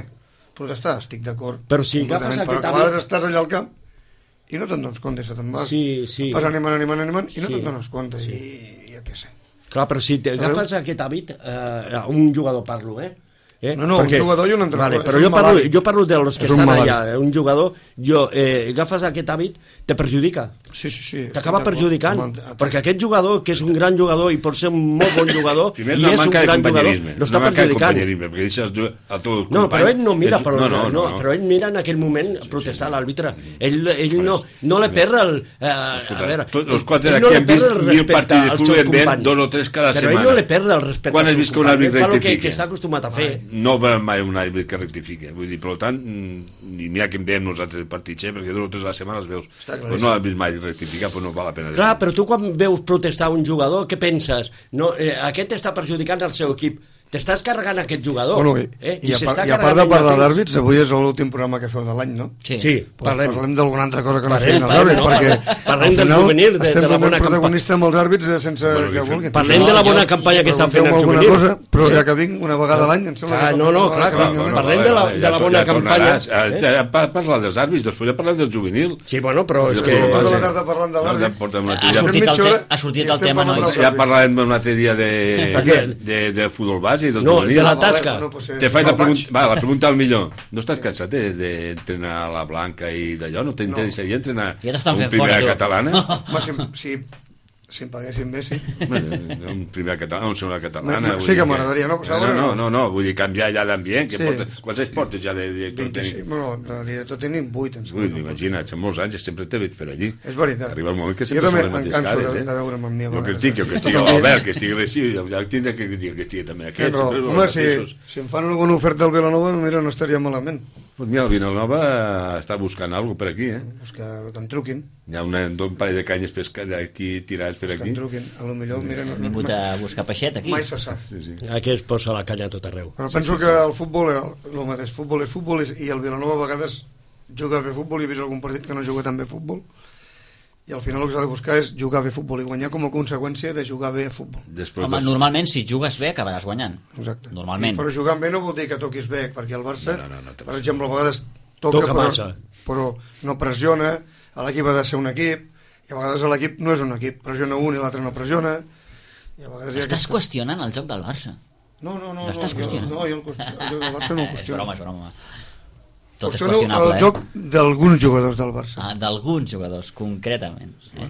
protestar, estic d'acord però si agafes aquest però a vegades estàs allà al camp i no te'n dones compte, se te'n vas sí, sí. vas animant, animant, animant i no sí. te'n dones compte sí. i ja què sé clar, però si t'agafes aquest hàbit eh, un jugador parlo, eh Eh? No, no, Perquè, un jugador i un entrenador. Vale, però jo parlo, jo parlo dels que és un estan malalt. allà. Un jugador, jo, eh, agafes aquest hàbit, te perjudica. Sí, sí, sí. T'acaba perjudicant, Amb el- perquè aquest jugador, que és un gran jugador i pot ser un molt bon jugador, Primer i és és una un manca de gran jugador, companyerisme. no està Una manca de perjudicant. companyerisme, perquè deixes a tots els No, però companys... ell no mira, però, no, no, no, no, però ell mira en aquell moment a protestar a l'àrbitre. Ell, ell no, no le perd el... Eh, Escolta, a veure, tots els quatre ell d'aquí no le hem perd vist el mil respecte partits de als futbol seus en ven companys. dos o tres cada però setmana. ell no le perd el respecte Quan als has seus vist que un companys. àrbitre Ell fa el que, rectifica? que està acostumat a fer. No va mai un àrbitre que rectifica. Vull dir, per tant, i mira que en veiem nosaltres el partits, eh, perquè dos o tres a la setmana els veus. Però no has vist mai rectificar, però no val la pena. Clar, però tu quan veus protestar un jugador, què penses? No, eh, aquest està perjudicant el seu equip. T'estàs carregant aquest jugador. Bueno, i, eh? i, a, s'està part, i a part carregant de ell parlar mateix. d'àrbits, avui és l'últim programa que feu de l'any, no? Sí. Sí, Pues parlem. parlem d'alguna altra cosa que no Parlem, siguin els parlem, àrbits, no? perquè Parlem al del final juvenil, de- de estem la donant bona protagonista amb els àrbits eh, sense Bueno, que que vulguin. Parlem No, de la bona jo- campanya que estan fent el alguna juvenil. cosa, però Sí. ja que vinc una vegada a l'any, em sembla Ah, que... no, no, toca clar, que clar, vinc, bueno, no? parlem de la- de la bona campanya. Eh? Ja parlar dels àrbits, després ja parlem del juvenil. Sí, bueno, però és que... Estem tota la sí. tarda parlant de No, ja l'àrbit. portem una Ha tria. sortit el, mitja te hora ha sortit i el estem tema, parlant nois. del- Ja parlarem un altre dia de, De què? de, de futbol base i del No, juvenil. de la Ah, vale, tasca. bueno, pues, eh, Te si faig no la, vaig- pregunta, va, la pregunta al millor. No estàs cansat eh, d'entrenar a la Blanca i d'allò? No t'interessaria entrenar Ja t'estan a un fent fora, primera tu. catalana? Home, si, si, si em paguessin bé, sí. Bueno, un primera catalana, un segona catalana... Me- me- vull sí que dir m'agradaria, no? No, no, no, no, vull dir canviar ja d'ambient. Que Sí. portes, quants anys portes ja de director vint-i-cinc, tècnic? bueno, de director tècnic vuit, em Ui, sembla. imagina't, són molts anys, sempre t'he vist per allí. És veritat. Arriba el moment que Jo sempre també són les em mateixes canso cares, de, eh? de veure'm amb mi a Jo que vegades. estic, jo que estigui També. l'Albert, que estigui l'ací, ja el tindré que dir que estigui també aquest. Però, sempre home, els si, mateixos. si em fan alguna oferta al Vilanova, mira, no estaria malament. Pues mira, el Vilanova està buscant alguna cosa per aquí, eh? Pues que, que em truquin, Hi ha una, un parell de canyes pescats aquí tirats per pues que aquí. em truquin. A lo millor, mira, no, Hem vingut a buscar peixet aquí. mai se sap. Sí, sí. Aquí es posa la canya a tot arreu. Però penso que el futbol era el mateix. Futbol és futbol i i el Vilanova a vegades juga bé futbol i he vist algun partit que no juga tan bé futbol. I al final el que s'ha de buscar és jugar bé futbol i guanyar com a conseqüència de jugar bé a futbol. Després Home, dels- normalment si jugues bé acabaràs guanyant. Exacte. Normalment. I, però jugant bé no vol dir que toquis bé, perquè el Barça, No, no, no, no, per exemple, a vegades toca, Toca però, massa. però no pressiona, l'equip ha de ser un equip, i a vegades l'equip no és un equip, pressiona un i l'altre no pressiona, i a vegades hi ha Estàs aquesta- qüestionant el joc del Barça. No, no, no. L'estàs no, qüestionant? Jo, no, jo el, qüest- el joc del Barça no el És qüestiono. broma, és broma. Tot és Qüestiono qüestionable, el joc d'alguns jugadors del eh? Barça. Ah, d'alguns jugadors, concretament. Eh?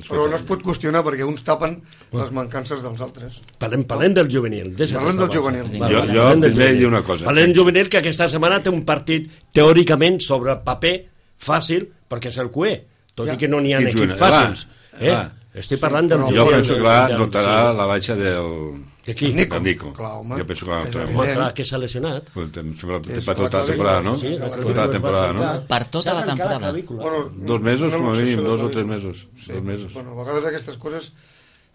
Però no es pot qüestionar perquè uns tapen les mancances dels altres. Parlem, parlem del juvenil. deixa't Parlem de del juvenil. Barça. Jo- Vale, jo parlem del primer juvenil. dir una cosa. Parlem del juvenil, que aquesta setmana té un partit teòricament sobre paper fàcil, perquè és el Q E, tot Ja. i que no n'hi ha Qui equips juga? fàcils. Va, Eh? va. Estic parlant del però juvenil. Jo penso que va del- notarà sí. la baixa del... De qui? Nico. del Nico. Clar, home. Jo penso que la És notarà. evident. Home, clar, que s'ha lesionat. Em sembla que És per tota la la temporada, no? clavícula, Sí, Tota la temporada, no? Per tota la temporada. Bueno, Dos mesos, una com a mínim, luxació de dos o clavícula. tres mesos. Sí. Dos mesos. Bueno, a vegades aquestes coses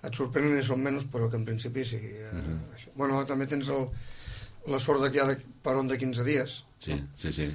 et sorprenen i són menys, però que en principi sigui eh, Mhm. això. Bueno, també tens el, la sort de que ara paron de quinze dies. Sí, sí, sí.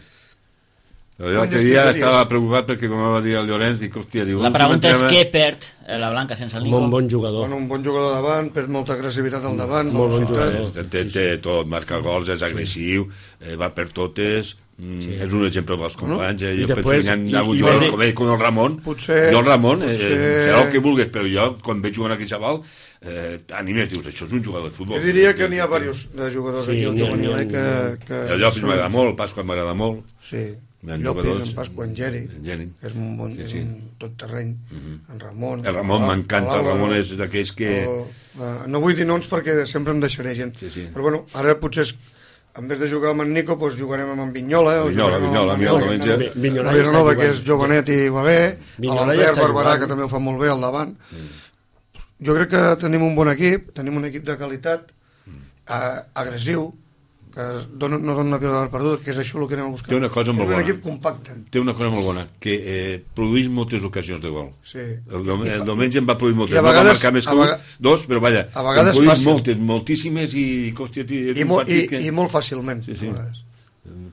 Però jo Quants l'altre dia dies? estava preocupat perquè, com va dir el Llorenç, dic, hòstia, diu... La pregunta és què perd eh, la Blanca sense el Un Nico? bon, bon jugador. Bueno, un bon jugador davant, perd molta agressivitat al davant, Molt bon velocitat. jugador. Té, té tot, marca gols, és agressiu, eh, va per totes, mm, és un exemple pels companys, eh, I jo penso després- que hi ha, hi ha hagut i- i jugadors vede- com ell, com el Ramon, Potser- jo el Ramon, eh, potser- serà el que vulguis, però jo, quan veig jugant aquell xaval, eh, animes, dius, això és un jugador de futbol. Jo diria que n'hi ha diversos de jugadors Sí, aquí al n'hi ha- juvenil, n'hi ha- eh, que, que... El Llopis són- m'agrada molt, el Pasqua m'agrada molt, Sí, Hi ha Llopis, jugadors- en Pasqua, en Geri, en Geri. que és un bon Sí, sí, sí. un tot terreny, en Ramon. el Ramon l'Al- m'encanta, el l'Àlvaro, Ramon és d'aquells que... el- eh, no vull dir noms perquè sempre em deixaré gent, Sí, sí. però bueno, ara potser és, en vez de jugar amb en Nico, doncs jugarem amb en Vinyola, o Vinyola, jugarem amb Vinyola, en Vinyola, Vinyola, Vinyola. que- Vinyola a ja Vilanova, està que és jugant. jovenet i va bé, Vinyola ja l'Albert està Barberà, jugant. que també ho fa molt bé al davant. Jo crec que tenim un bon equip, tenim un equip de qualitat, eh, agressiu, que dona, no dona una pilota per perduda, que és això el que anem a buscar. Té una cosa molt És un bona. equip compacte. Té una cosa molt bona, que eh, produeix moltes ocasions de gol. Sí. El, dom I fa- el diumenge en va produir moltes, i a no va vegades- marcar més a que un, vega- dos, però vaja, a vegades en produeix fàcil. moltes, moltíssimes i, hòstia, tio, és I, un molt, i, partit que... i molt fàcilment. Sí, sí. a vegades.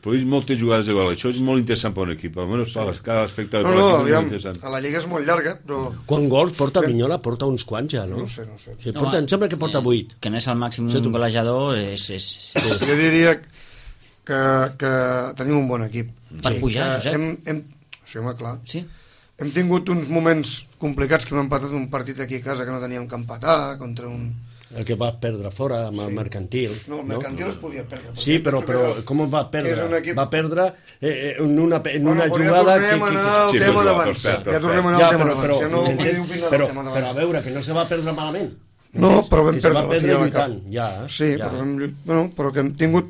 Produeix moltes jugades de gol, això és molt interessant per un equip, almenys cada aspecte de No, l'equip no, és molt aviam, interessant. a la Lliga és molt llarga, però Quan gols porta Vinyola? Porta uns quants ja, no? no sé, no sé. Sí, porta, em sembla que porta vuit. Que no és el màxim Sí, tu. golejador, és... és... Jo diria que, que tenim un bon equip. Per pujar, que Josep. hem, hem, sí, home, clar. Sí? Hem tingut uns moments complicats que hem empatat un partit aquí a casa que no teníem que empatar, contra un, El que va perdre fora amb el Sí. mercantil. No, el mercantil es podia perdre. perquè Sí, però, penso que però és el- com va és perdre? un equip- Va perdre eh, eh, en una, en Bueno, una però ja jugada... tornem a anar al Sí, tema però- d'abans. però- però- Ja tornem a anar Ja, al tema però, d'abans. però, Ja no m'entens? vull opinar però, del tema però a d'abans. veure, que no se va perdre malament. No, però vam Que se perdre va la perdre final de lluitant, cap. ja. Sí, ja. però, vam, lluit- bueno, però que hem tingut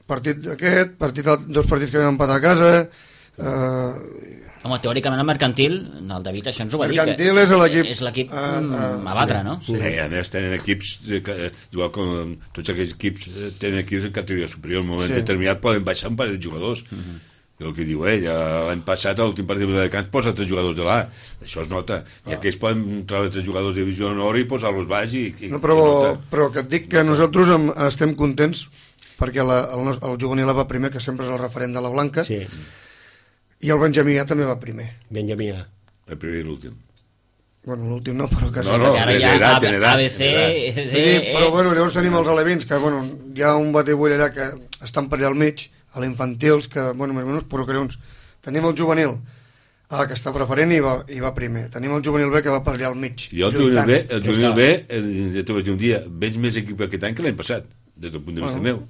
partit aquest, partit, dos partits que vam empatar a casa, eh, Home, teòricament el mercantil, el David això ens ho va dir. Mercantil que és l'equip- És l'equip Ah, ah, mm, a batre, no? Sí. Eh, a més, tenen equips, eh, que, eh, igual com tots aquells equips eh, tenen equips en categoria superior, en un moment Sí. determinat poden baixar un parell de jugadors. Uh -huh. El que diu ell, ja l'any passat, a l'últim partit de Camps, posa tres jugadors de l'A. Això es nota. I Ah. aquells poden treure tres jugadors de divisió honor i posar-los baix i, i no, i però, nota. però que et dic que nosaltres em, estem contents perquè la, el, nos- el juvenil va primer, que sempre és el referent de la Blanca, Sí, i el Benjamí A també va primer. Benjamí. El primer i l'últim. Bueno, l'últim no, però quasi. No, no, Perquè ara de- ja d'edat, A- de l'edat, A B C... de Sí, eh, però bueno, llavors tenim els alevins, que bueno, hi ha un batibull allà que estan per allà al mig, a l'infantils, que bueno, més o menys, però que llavors tenim el juvenil, ah, que està preferent i va, i va primer. Tenim el juvenil B que va per allà al mig. I el juvenil lluitant. B, el Ja juvenil està. B, eh, ja t'ho vaig dir un dia, veig més equip aquest any que l'any passat, des del punt de vista Bueno. meu.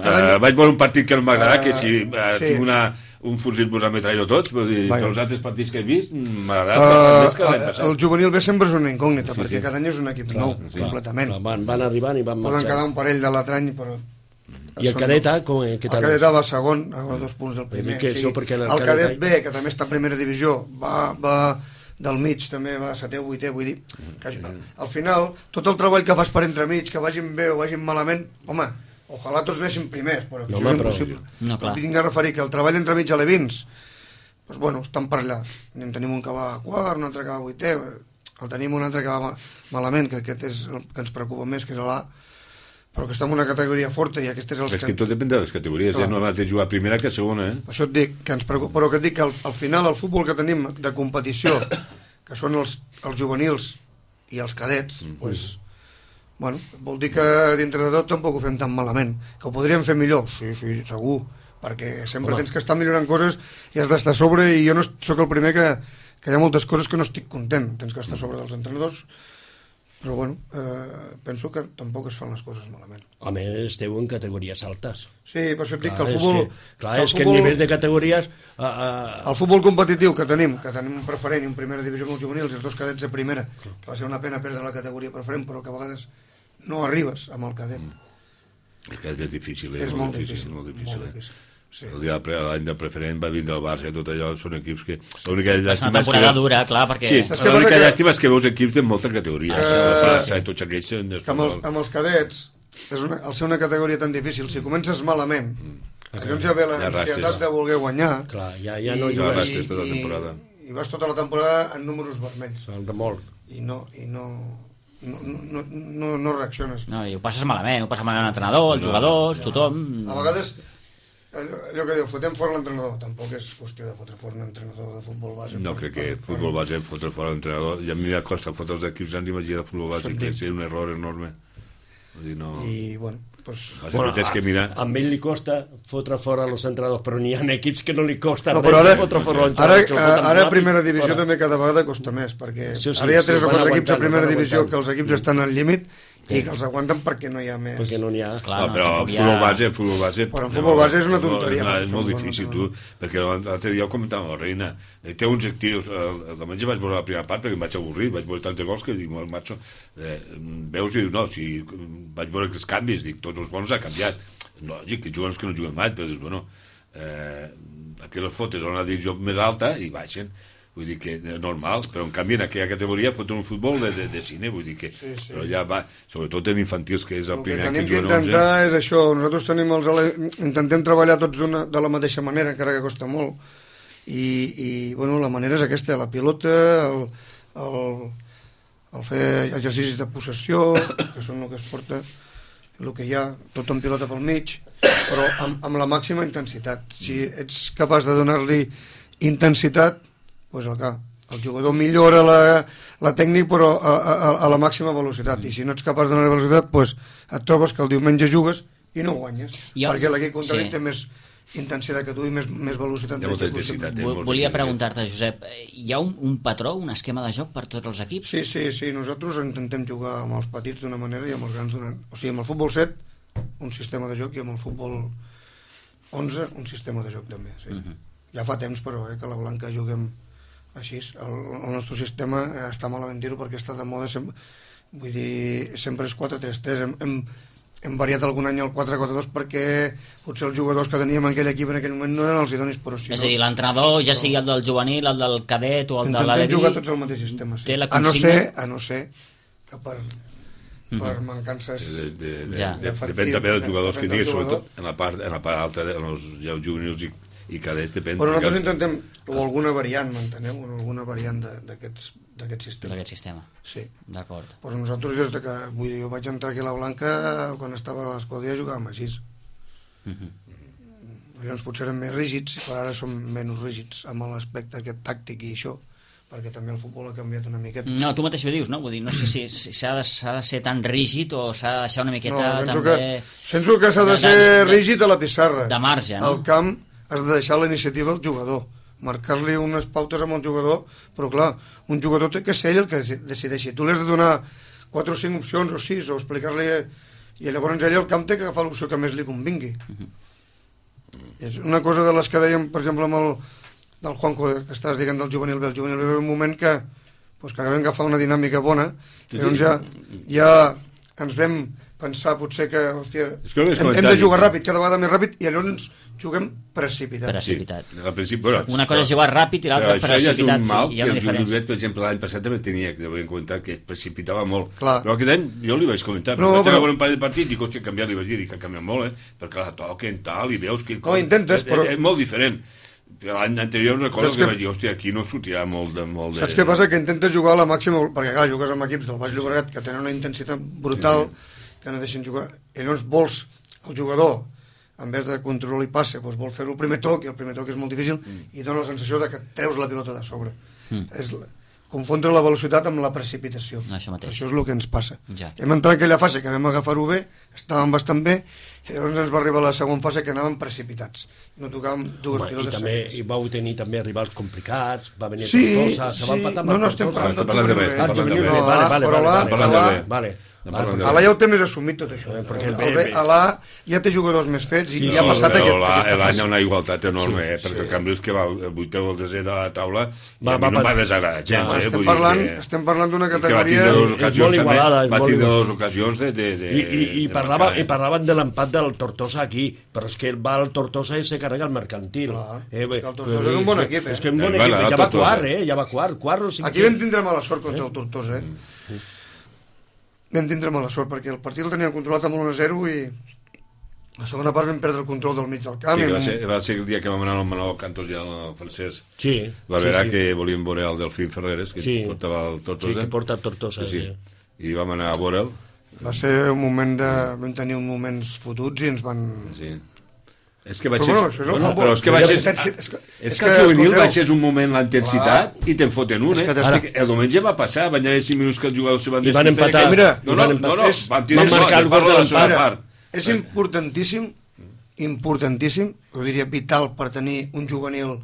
cada Uh, vaig veure un partit que no m'agrada, Uh, que si uh, sí. tinc una, un fusil posat metrallo tots, però dir, Vaja. els altres partits que he vist m'ha agradat Uh, més que l'any el, passat. el juvenil B sempre és una incògnita, Sí, perquè sí. cada any és un equip Clar, nou, sí. completament. Clar, van, van arribant i van Poden marxant. quedar un parell de l'altre any, però... I el són cadet A, dos. com, què El tal? cadet A va segon, a dos punts del Vull dir primer. que això perquè en el el cadet cadet B, que també està a primera divisió, va, va del mig, també va a setè o vuitè, vull dir, que això- al final, tot el treball que fas per entremig, que vagin bé o vagin malament, home, ojalà tots anéssim primers, però que No, això home, és però- impossible. No, clar. Vinc a referir que el treball entremig a l'Evins, doncs bueno, estan per allà. En tenim un que va a quart, un altre que va a vuitè, el tenim un altre que va ma- malament, que aquest és el que ens preocupa més, que és l'A, però que està en una categoria forta i aquest és el És que tot depèn de les categories, Clar. ja no has de jugar a primera que a segona, eh? Per això et dic que ens preocupa, però que et dic que al, al final el futbol que tenim de competició, que són els, els juvenils i els cadets, mm -hmm. pues, bueno, vol dir que dintre de tot tampoc ho fem tan malament. Que ho podríem fer millor? Sí, sí, segur, perquè sempre Home. tens que estar millorant coses i has d'estar a sobre, i jo no sóc el primer que, que hi ha moltes coses que no estic content. Tens que estar a sobre dels entrenadors, però bueno, eh, penso que tampoc es fan les coses malament. A més, esteu en categories altes. Sí, per això et dic Clar, que el és futbol... que, clar, el és que el futbol- nivell de categories... Uh, uh, El futbol competitiu que tenim, que tenim un preferent i un primera divisió amb els juvenils i els dos cadets de primera, que va ser una pena perdre la categoria preferent, però que a vegades no arribes amb el cadet. És que és difícil, eh? És molt difícil, molt difícil, molt eh? difícil. Sí. El dia de pre- l'any de preferent va vindre el Barça i tot allò, són equips que... L'única És una llàstima és que... temporada dura, clar, perquè... Sí, Saps què l'única passa que- llàstima és que veus equips de molta categoria. Eh, El Barça i tots aquells... són Que amb els, amb els cadets, és una, al ser una categoria tan difícil, si comences malament, llavors ja ve Ja l'ansietat rastres. de voler guanyar, clar, ja, ja no Ja jugues rastres tota la temporada. i, i vas tota la temporada en números vermells, al remolc. i no, i no, no, no, no, no reacciones. No, i ho passes malament, ho passa malament l'entrenador, els jugadors, tothom... A vegades, allò, allò que diu, fotem fora l'entrenador, tampoc és qüestió de fotre fora un entrenador de futbol base. No crec que futbol base fotre fora l'entrenador, i a mi m'acosta fotre els equips grans, imagina futbol base, Això que dic. és un error enorme. Vull dir, no... I, bueno, doncs... Bueno, tens que mirar... A, a ell li costa fotre fora els entrenadors, però n'hi ha equips que no li costa No, res però ara, fotre fora ara, l'entrenador. que el foten ara a ràpid, primera divisió fora. també cada vegada costa més, perquè Sí, sí, ara hi ha sí, tres o van quatre equips a aguantant, primera van divisió aguantant. que els equips estan al límit i que els aguanten perquè no hi ha més. Perquè no n'hi ha. Clar, No, però tampoc el hi ha- futbol base, el futbol base... Però el futbol base és una tonteria, No, per és molt favor, difícil, no, tu, no. perquè l'altre dia ho comentava amb la Reina, eh, té uns actius, el, el diumenge vaig veure la primera part perquè em vaig avorrir, vaig veure tants gols que dic, el macho, eh, veus i dius, no, si vaig veure els canvis, dic, tots els bons ha canviat. Lògic, que juguen els que no juguen mai, però dius, bueno, eh, aquí les fotes a una divisió més alta i baixen. Vull dir que és normal, però en canvi en aquella categoria foten un futbol de, de, de cine, vull dir que... Sí, sí. Però ja va, sobretot en infantils, que és el, El que primer any tenim que que juguen onze. intentar és això, nosaltres tenim els ale... intentem treballar tots d'una- de la mateixa manera, encara que costa molt, i, i bueno, la manera és aquesta, la pilota, el, el, el fer exercicis de possessió, que són el que es porta, el que hi ha, tot en pilota pel mig, però amb, amb la màxima intensitat. Si ets capaç de donar-li intensitat, doncs el, el jugador millora la, la tècnica però a, a, a la màxima velocitat, i si no ets capaç de donar velocitat, doncs et trobes que el diumenge jugues i no guanyes, Jo- perquè l'equip contrari sí. té més, intensitat, que dui més, més velocitat. Hi ha molta intensitat. Eh? Volia preguntar-te, Josep, hi ha un, un patró, un esquema de joc per tots els equips? Sí, sí, sí, nosaltres intentem jugar amb els petits d'una manera i amb els grans d'una... O sigui, amb el futbol set, un sistema de joc, i amb el futbol onze, un sistema de joc també, sí. Uh-huh. Ja fa temps, però, eh, que la Blanca juguem així. El, el nostre sistema està malament dir-ho perquè està de moda, sempre, vull dir, sempre és quatre tres tres. Hem, hem, hem variat algun any el quatre quatre dos perquè potser els jugadors que teníem en aquell equip en aquell moment no eren els idonis, però si és no... a dir, l'entrenador, ja sigui el del juvenil, el del cadet o el de l'Alevi... Intentem jugar tots al mateix sistema, sí. La a, no ser, a no ser que per, per Mhm. mancances... De, de, de, Ja. de, d'efectiu, depèn també dels de- jugadors que depèn del tinguis, jugador. sobretot en la part, en la part alta, en els ja, juvenils i, i cadets, depèn. Però nosaltres perquè- intentem, o alguna variant, m'enteneu? O alguna variant de- d'aquests d'aquest sistema. d'aquest sistema. Sí. D'acord. Però nosaltres, des de que, vull dir, jo vaig entrar aquí a la Blanca, quan estava a l'Escodia jugàvem així. Mhm. Llavors potser eren més rígids, però ara som menys rígids amb l'aspecte aquest tàctic i això, perquè també el futbol ha canviat una miqueta. No, tu mateix ho dius, no? Vull dir, no sé si si s'ha de, s'ha de ser tan rígid o s'ha de deixar una No, miqueta penso també... que, penso que s'ha de de- ser de- de- rígid a la pissarra. de marge, no? Al camp has de deixar la iniciativa al jugador, marcar-li unes pautes amb el jugador, però clar, un jugador té que ser ell el que decideixi. Tu li has de donar quatre o cinc opcions o sis, o explicar-li... I llavors ell al camp té que agafar l'opció que més li convingui. Uh-huh. És una cosa de les que dèiem, per exemple, amb el del Juanjo, que estàs dient del juvenil B. El juvenil B va un moment que, pues, que vam agafar una dinàmica bona, i llavors ja, ja ens vam pensar potser que, hòstia, És que hem, hem de jugar ràpid, cada vegada més ràpid, i llavors juguem precipitat. Precipitat. Sí, al principi, però, Una cosa és jugar ràpid i l'altra però això ja és precipitat, un mal sí, hi ha que una el Juvenil diferència. Bet, per exemple, l'any passat també tenia, que devien comentar, que es precipitava molt. Clar. Però aquest any jo li vaig comentar, No, no, vaig però- veure un parell de partits, dic, hòstia, canviar, li vaig dir, dic, que ha canviat molt, eh? Perquè la toquen, tal, i veus que... No, intentes, és, però- És, és molt diferent. L'any anterior recordo Saps que, que- vaig dir, hòstia, aquí no sortirà molt de... Molt de... Saps què passa? Que intentes jugar a la màxima, perquè clar, jugues amb equips del Baix Llobregat que tenen una intensitat brutal, que no deixen jugar, i llavors vols el jugador, en vez de control i passe, doncs vol fer-ho el primer toc, i el primer toc és molt difícil, i dona la sensació de que treus la pilota de sobre. Mm. És la, confondre la velocitat amb la precipitació. Això mateix. Això és el que ens passa. Ja. Hem entrat en aquella fase que vam agafar-ho bé, estàvem bastant bé, i llavors ens va arribar la segona fase que anàvem precipitats. No tocàvem dues Home, i pilotes també seguides. i vau tenir també rivals complicats, va venir Sí, Tortosa, se va sí. empatar amb No, el no, estem Tortosa. parlant del Parlant de juvenil bé, B. Ah, parlant de juvenil bé. B, vale, vale, però vale, la- vale, parlant de vale, bé. vale. Parlant de A l'A ja ho té més assumit tot això. Eh, perquè El bé, B, bé. a l'A ja té jugadors més fets i Sí, ja ha sí, passat però aquest, la- aquesta l'any hi fase. ha una igualtat enorme, Sí, eh? perquè sí. el canvi és que va el vuitè o el desè de la taula i Va- a mi va no em va pas- desagradar gens, Va, eh? Estem Vull dir parlant, que- estem parlant d'una i que va categoria... tindre dues És ocasions molt també, igualada, és va molt tindre igualada. dues ocasions de, de, de, I, i, i, de parlava, marcar, eh? i parlaven de l'empat del Tortosa aquí, però és que el va al Tortosa i se carrega el mercantil. Clar, eh, és que el Tortosa és un bon equip, eh? És que un bon Eh, equip, bueno, el ja va Tortosa. quart, eh? Ja va quart, quart o cinquè. Aquí vam tindre mala sort contra el Tortosa, eh? Vam tindre mala sort, perquè el partit el teníem controlat amb l'u a zero i la segona part vam perdre el control del mig del camp. Sí, que va, i ser, va ser el dia que vam anar al Manol Cantos i al francès. Sí, Barberà, sí, sí. que volíem veure el Delfín Ferreres, que Sí. portava el Tortosa. Sí, que porta el Tortosa, sí. sí. I vam anar a veure'l. Va ser un moment de... Vam tenir un moments fotuts i ens van... Sí. És que vaig Però ser... bueno, això és el bueno, futbol. però és que vaig La ser... intensitat- és que- És és que el que, juvenil escolteu, vaig ser un moment la intensitat i te'n foten un, És eh? que t'estic- Ara, el diumenge va passar, van haver cinc minuts que els jugadors se van I van desfer, empatar. que- Mira, no, i no, van no, empatar. no, És- van tirar van sort, marcar el jo gol parlo de la segona l'empat. part. És importantíssim, importantíssim, ho diria vital per tenir un juvenil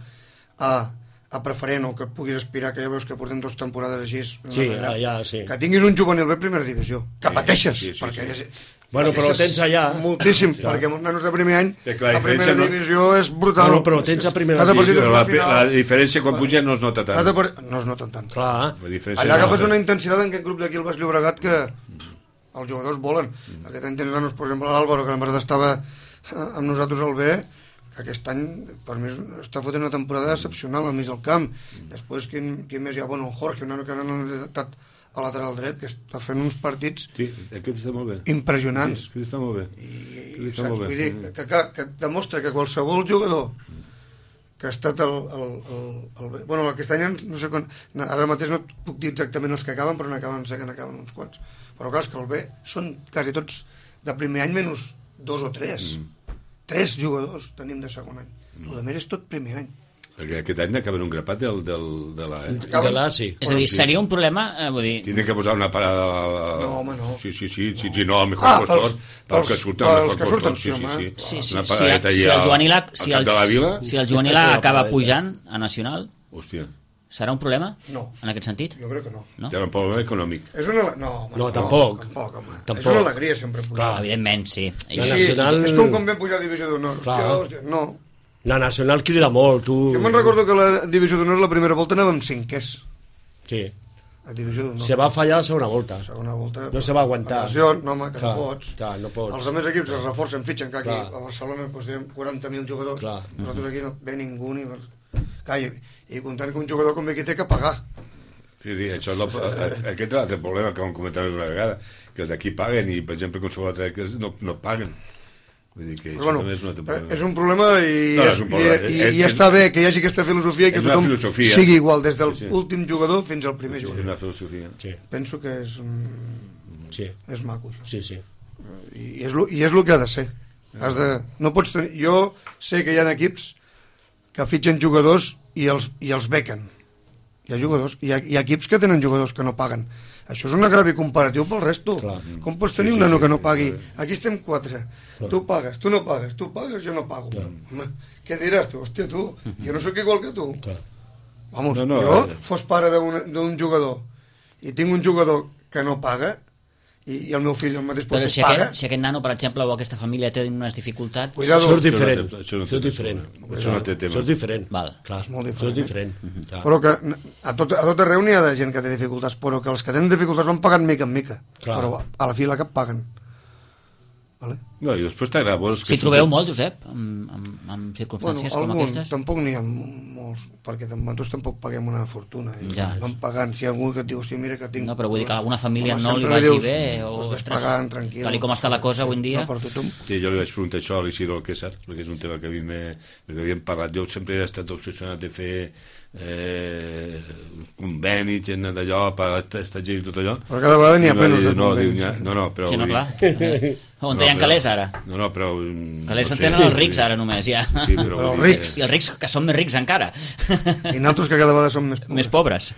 a, a preferent o que puguis aspirar, que ja veus que portem dues temporades així. Sí, allà, ja, sí. Que tinguis un juvenil bé a primera divisió, que Sí, pateixes, sí, sí, perquè sí. és... Bueno, però pateixes tens allà... moltíssim, Sí. perquè amb uns nanos de primer any Sí, clar, a la primera diferència no- divisió és brutal. Bueno, però tens a primera Cada partit divisió, és Però una la, final. la diferència quan puja no es nota tant. Cada part... No es nota tant. Clar, La diferència Allà no es agafes nota. una intensitat en aquest grup d'aquí al Baix Llobregat que els jugadors volen. Aquest any tens nanos, per exemple, l'Àlvaro, que en veritat estava amb nosaltres al B, que aquest any per mi està fotent una temporada excepcional al mig del camp. Després, quin, quin més hi ha? Bueno, el Jorge, un nano que no ha estat a lateral dret, que està fent uns partits Sí, aquest està molt bé. impressionants. Sí, aquest està molt bé. I, Aquest està saps? molt bé. Vull dir, que, que, que demostra que qualsevol jugador que ha estat el, el, el, el, bueno, aquest any no sé quan, ara mateix no puc dir exactament els que acaben, però n'acaben, sé que n'acaben uns quants, però clar, és que el B són quasi tots de primer any menys dos o tres mm. tres jugadors tenim de segon any, mm. el més és tot primer any. Perquè aquest any acaben un grapat del, del, de la... Eh? De la, sí. És a dir, seria un problema, eh, vull dir... Tindrem que posar una parada... A la... No, home, no. Sí, sí, sí, sí, sí no, al mejor Ah, postor, pels- pels que pels- surten, al pels mejor que surten, postor, sí, sí, sí, home. sí. Sí, sí, Una si, paradeta si allà el Joanilà, al si cap el, de la Vila. si el Joanilà Una acaba paradeta. pujant a Nacional, Hòstia, serà un problema? No. En aquest sentit? Jo crec que no. No? té un problema econòmic. És una... No, home, No, tampoc. Tampoc, home. Tampoc. És una alegria sempre pujar. Clar. Evidentment, sí. La I, Sí, Nacional- és com quan vam pujar a Divisió d'Honor. Clar. Jo, hòstia, no. La Nacional crida molt, tu... Jo me'n recordo que la Divisió d'Honor la primera volta anàvem cinquers. Sí. A Divisió d'Honor. Se va fallar la segona volta. Segona volta... No se va aguantar. Lesió, no, home, que Clar, no pots. clar, no pots. Els altres equips es reforcen, fitxen, que aquí Clar. a Barcelona doncs, tenim quaranta mil jugadors. Clar. Nosaltres aquí no ve ningú ni... Clar, i, i comptant que un jugador com aquí té que pagar. Sí, sí, això és el, aquest és l'altre problema que vam comentar una vegada, que els d'aquí paguen i, per exemple, qualsevol altre que no, no paguen. Vull dir que Però, això bueno, també és un altre eh, problema. és un problema i, No, és, és un problema. i, i, És- i està bé que hi hagi aquesta filosofia i que és una tothom filosofia. sigui igual, des del Sí, sí. últim jugador fins al primer És jugador. una filosofia. Sí, Penso que és, mm, sí, és maco, això. sí, sí. I és, lo, I és el que ha de ser. Has de, no pots tenir, jo sé que hi ha equips que fitxen jugadors i els, i els bequen. Hi ha jugadors, hi ha, hi ha equips que tenen jugadors que no paguen. Això és un agravi comparatiu pel resto. Clar. Com pots tenir Sí, un sí, nano sí, que no sí, pagui? clar. Aquí estem quatre. Tu pagues, tu no pagues, tu pagues, jo no pago. Home, què diràs tu? Hòstia, tu, jo no sóc igual que tu. Clar. Vamos, No, no, jo eh. fos pare d'un d'un jugador i tinc un jugador que no paga i, i el meu fill al mateix però lloc si paga, aquest, si aquest nano, per exemple, o aquesta família té unes dificultats... cuidado. Això és diferent. Això no té- això no té Això és tema. diferent. Això no té tema. Això és diferent. Val. Clar, És molt Això és diferent, diferent. Clar. Però que a tot, a tot arreu n'hi ha de gent que té dificultats, però que els que tenen dificultats van pagant mica en mica. Clar. Però a la fi la cap paguen. Vale? No, i després t'agrada veure... Si trobeu molt, Josep, amb, amb, amb circumstàncies com algun, aquestes? tampoc n'hi ha molts, perquè nosaltres tampoc paguem una fortuna. I Ja. van pagant, si hi ha algú que et diu, hòstia, mira que tinc... No, però vull dir que a alguna família Home, no li sempre vagi dius, bé, o, els ves ostres, pagant, tranquil. tal i com està la cosa avui en dia... No, per tothom. Sí, jo li vaig preguntar això a l'Isidro Alquésar, perquè és un tema que a mi m'he... perquè havíem parlat, jo sempre he estat obsessionat de fer eh, convenis, gent d'allò, per aquesta gent i tot allò. Però cada vegada n'hi ha I va menys dir, de no, convenis. diu, n'hi ha- no, no, però... Sí, no, vull dir- clar. On No, hi ha però- calés, ara? No, no, però... mm, Calés no en sé, tenen els vull rics, dir- ara, només, ja. Sí, però... Però vull dir rics. que- I els rics, que són més rics encara. I nosaltres que cada vegada som més pobres. Més pobres.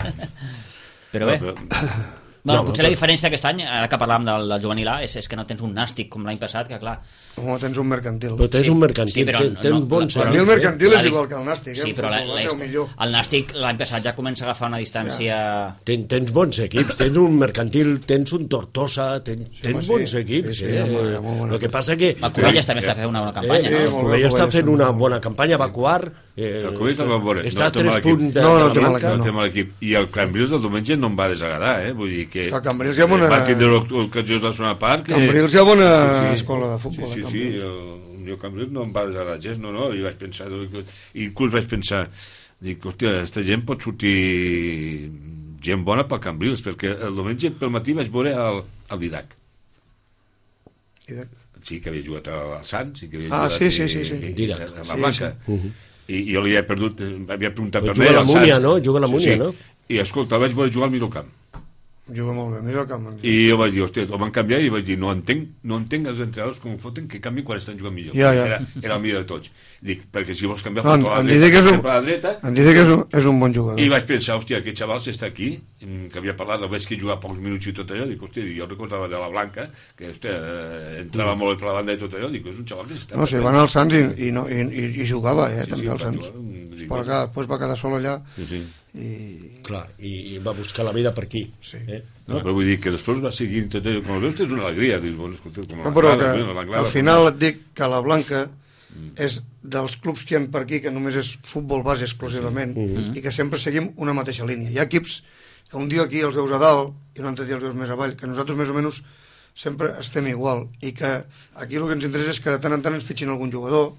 Però bé... No, però- Bueno, No, potser però- la diferència d'aquest any, ara que parlàvem del, del juvenil A, és, és que no tens un nàstic com l'any passat, que clar... Home, tens un mercantil. Però tens Sí, un mercantil, sí, però ten- tens no- bons però- Per mi el amics, eh? mercantil La és dis- igual que el nàstic, eh? Sí, El però la, futbol la, va ser el millor. el nàstic l'any passat ja comença a agafar una distància... Ten, tens bons equips, tens un mercantil, tens un Tortosa, tens, home, tens sí. bons equips. Sí, sí, eh? home, molt bona El que passa que... El Covelles també està fent una bona campanya, eh, no? eh, molt el bé, Covelles està Covelles fent també una molt bona campanya, va quart. Eh, El Covelles també va veure. Està a té mal tres equip. punts de No, no, de té la mal Blanca. No no. té mal equip. I el Cambrils del diumenge no em va desagradar, eh? Vull dir que... És que el Cambrils hi ha bona- Va tindre ocasions a la segona part... Que... Cambrils hi ha bona escola de futbol, Sí, a sí, sí, Cambrils. el, jo Cambrils no em va desagradar gens, no, no, i vaig pensar... I inclús vaig pensar, dic, hòstia, aquesta gent pot sortir gent bona pel Cambrils, perquè el diumenge pel matí vaig veure el, el Didac. I de... Sí, que havia jugat al Sants, i que havia Ah, jugat sí, sí, i- sí, sí. i- Didac. a la Sí, Blanca. sí. I jo li he perdut, eh, havia preguntat Però per juga mi, a la al Múnia, Sants. no? Juga a la Múnia, no? I escolta, el vaig veure jugar al mig camp. Juga molt bé, mira el camp. I jo vaig dir, hòstia, el van canviar i vaig dir, no entenc, no entenc els entrenadors com ho foten que canvien quan estan jugant millor. Ja, ja. Era, era el millor de tots. Dic, perquè si vols canviar, No, no, en, a la en dreta, Didac és un, sempre a la dreta. en Didac és un, és un bon jugador. I vaig pensar, hòstia, aquest xaval si està aquí, mm, que havia parlat, el veig que jugava pocs minuts i tot allò, dic, hòstia, jo recordava de la Blanca, que hòstia, eh, entrava molt bé per la banda i tot allò, dic, és un xaval que s'està... No, si van al Sants i, i, no, i, i, i jugava, eh, Sí, també sí, al va Sants. jugar, mm, dic, Però que després va quedar sol allà Sí, sí. i... Clar, i, i va buscar la vida per aquí. Sí. Eh? No, però vull dir que després va seguir tot allò, com el veus, és una alegria, dius, bueno, escolta, com No, però l'Anglada, que bueno, l'Anglada, al final et dic que la Blanca és dels clubs que hi ha per aquí que només és futbol base exclusivament i que sempre seguim una mateixa línia. Hi ha equips que un dia aquí els veus a dalt i un altre dia els veus més avall, que nosaltres més o menys sempre estem igual i que aquí el que ens interessa és que de tant en tant ens fitxin algun jugador,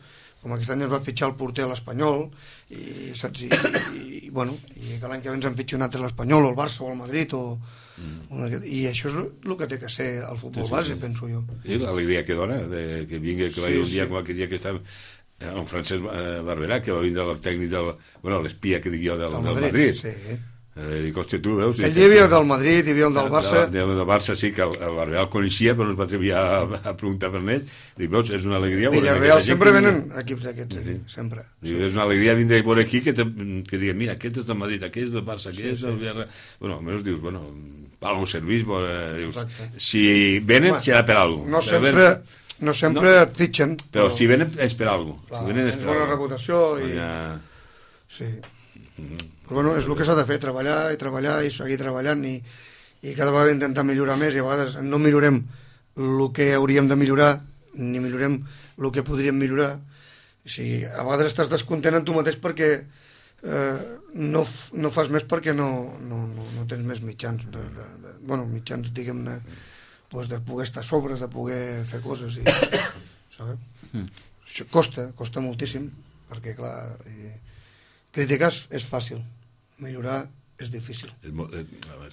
com aquest any es va fitxar el porter a l'Espanyol i, saps, i, i, i, bueno, i que l'any que ve ens en fitxi un altre a l'Espanyol o el Barça o el Madrid o, mm. una, i això és el que té que ser el futbol Sí, sí, base, sí. penso jo. I l'alegria que dona, de, que vingui, que Sí, vagi un dia sí. com aquell dia que estava eh, en Francesc eh, Barberà, que va vindre el tècnic del... Bueno, l'espia que dic jo del, Del del Madrid, Madrid. sí. Eh, dic, hòstia, tu veus... Aquell dia hi havia del Madrid, hi havia el del Barça... Del, del Barça sí, que el, el Real coneixia, però no es va atrevir a, a preguntar per ell. Dic, veus, és una alegria... Villarreal, sempre venen equips d'aquests, sí, sempre. Dic, és una alegria vindre a veure aquí que, te, que diguen, mira, aquest és del Madrid, aquest és del Barça, aquest sí, és del Villarreal... Bueno, almenys dius, bueno, per algú servís, bo, eh, dius, si venen, serà per alguna cosa. No sempre... No sempre no, et fitxen. Però, però si venen és per alguna cosa. Si venen és per bona reputació i... Ja... Sí. Mm-hmm. Però bueno, és el que s'ha de fer, treballar i treballar i seguir treballant i, i cada vegada intentar millorar més i a vegades no millorem el que hauríem de millorar ni millorem el que podríem millorar. O sigui, a vegades estàs descontent en tu mateix perquè eh, no, no fas més perquè no, no, no, no tens més mitjans. De, de, de, bueno, mitjans, diguem-ne, pues de poder estar a sobres, de poder fer coses i, sabeu? Mm. Això costa, costa moltíssim perquè clar, i, criticar és fàcil, millorar és difícil. És molt, eh,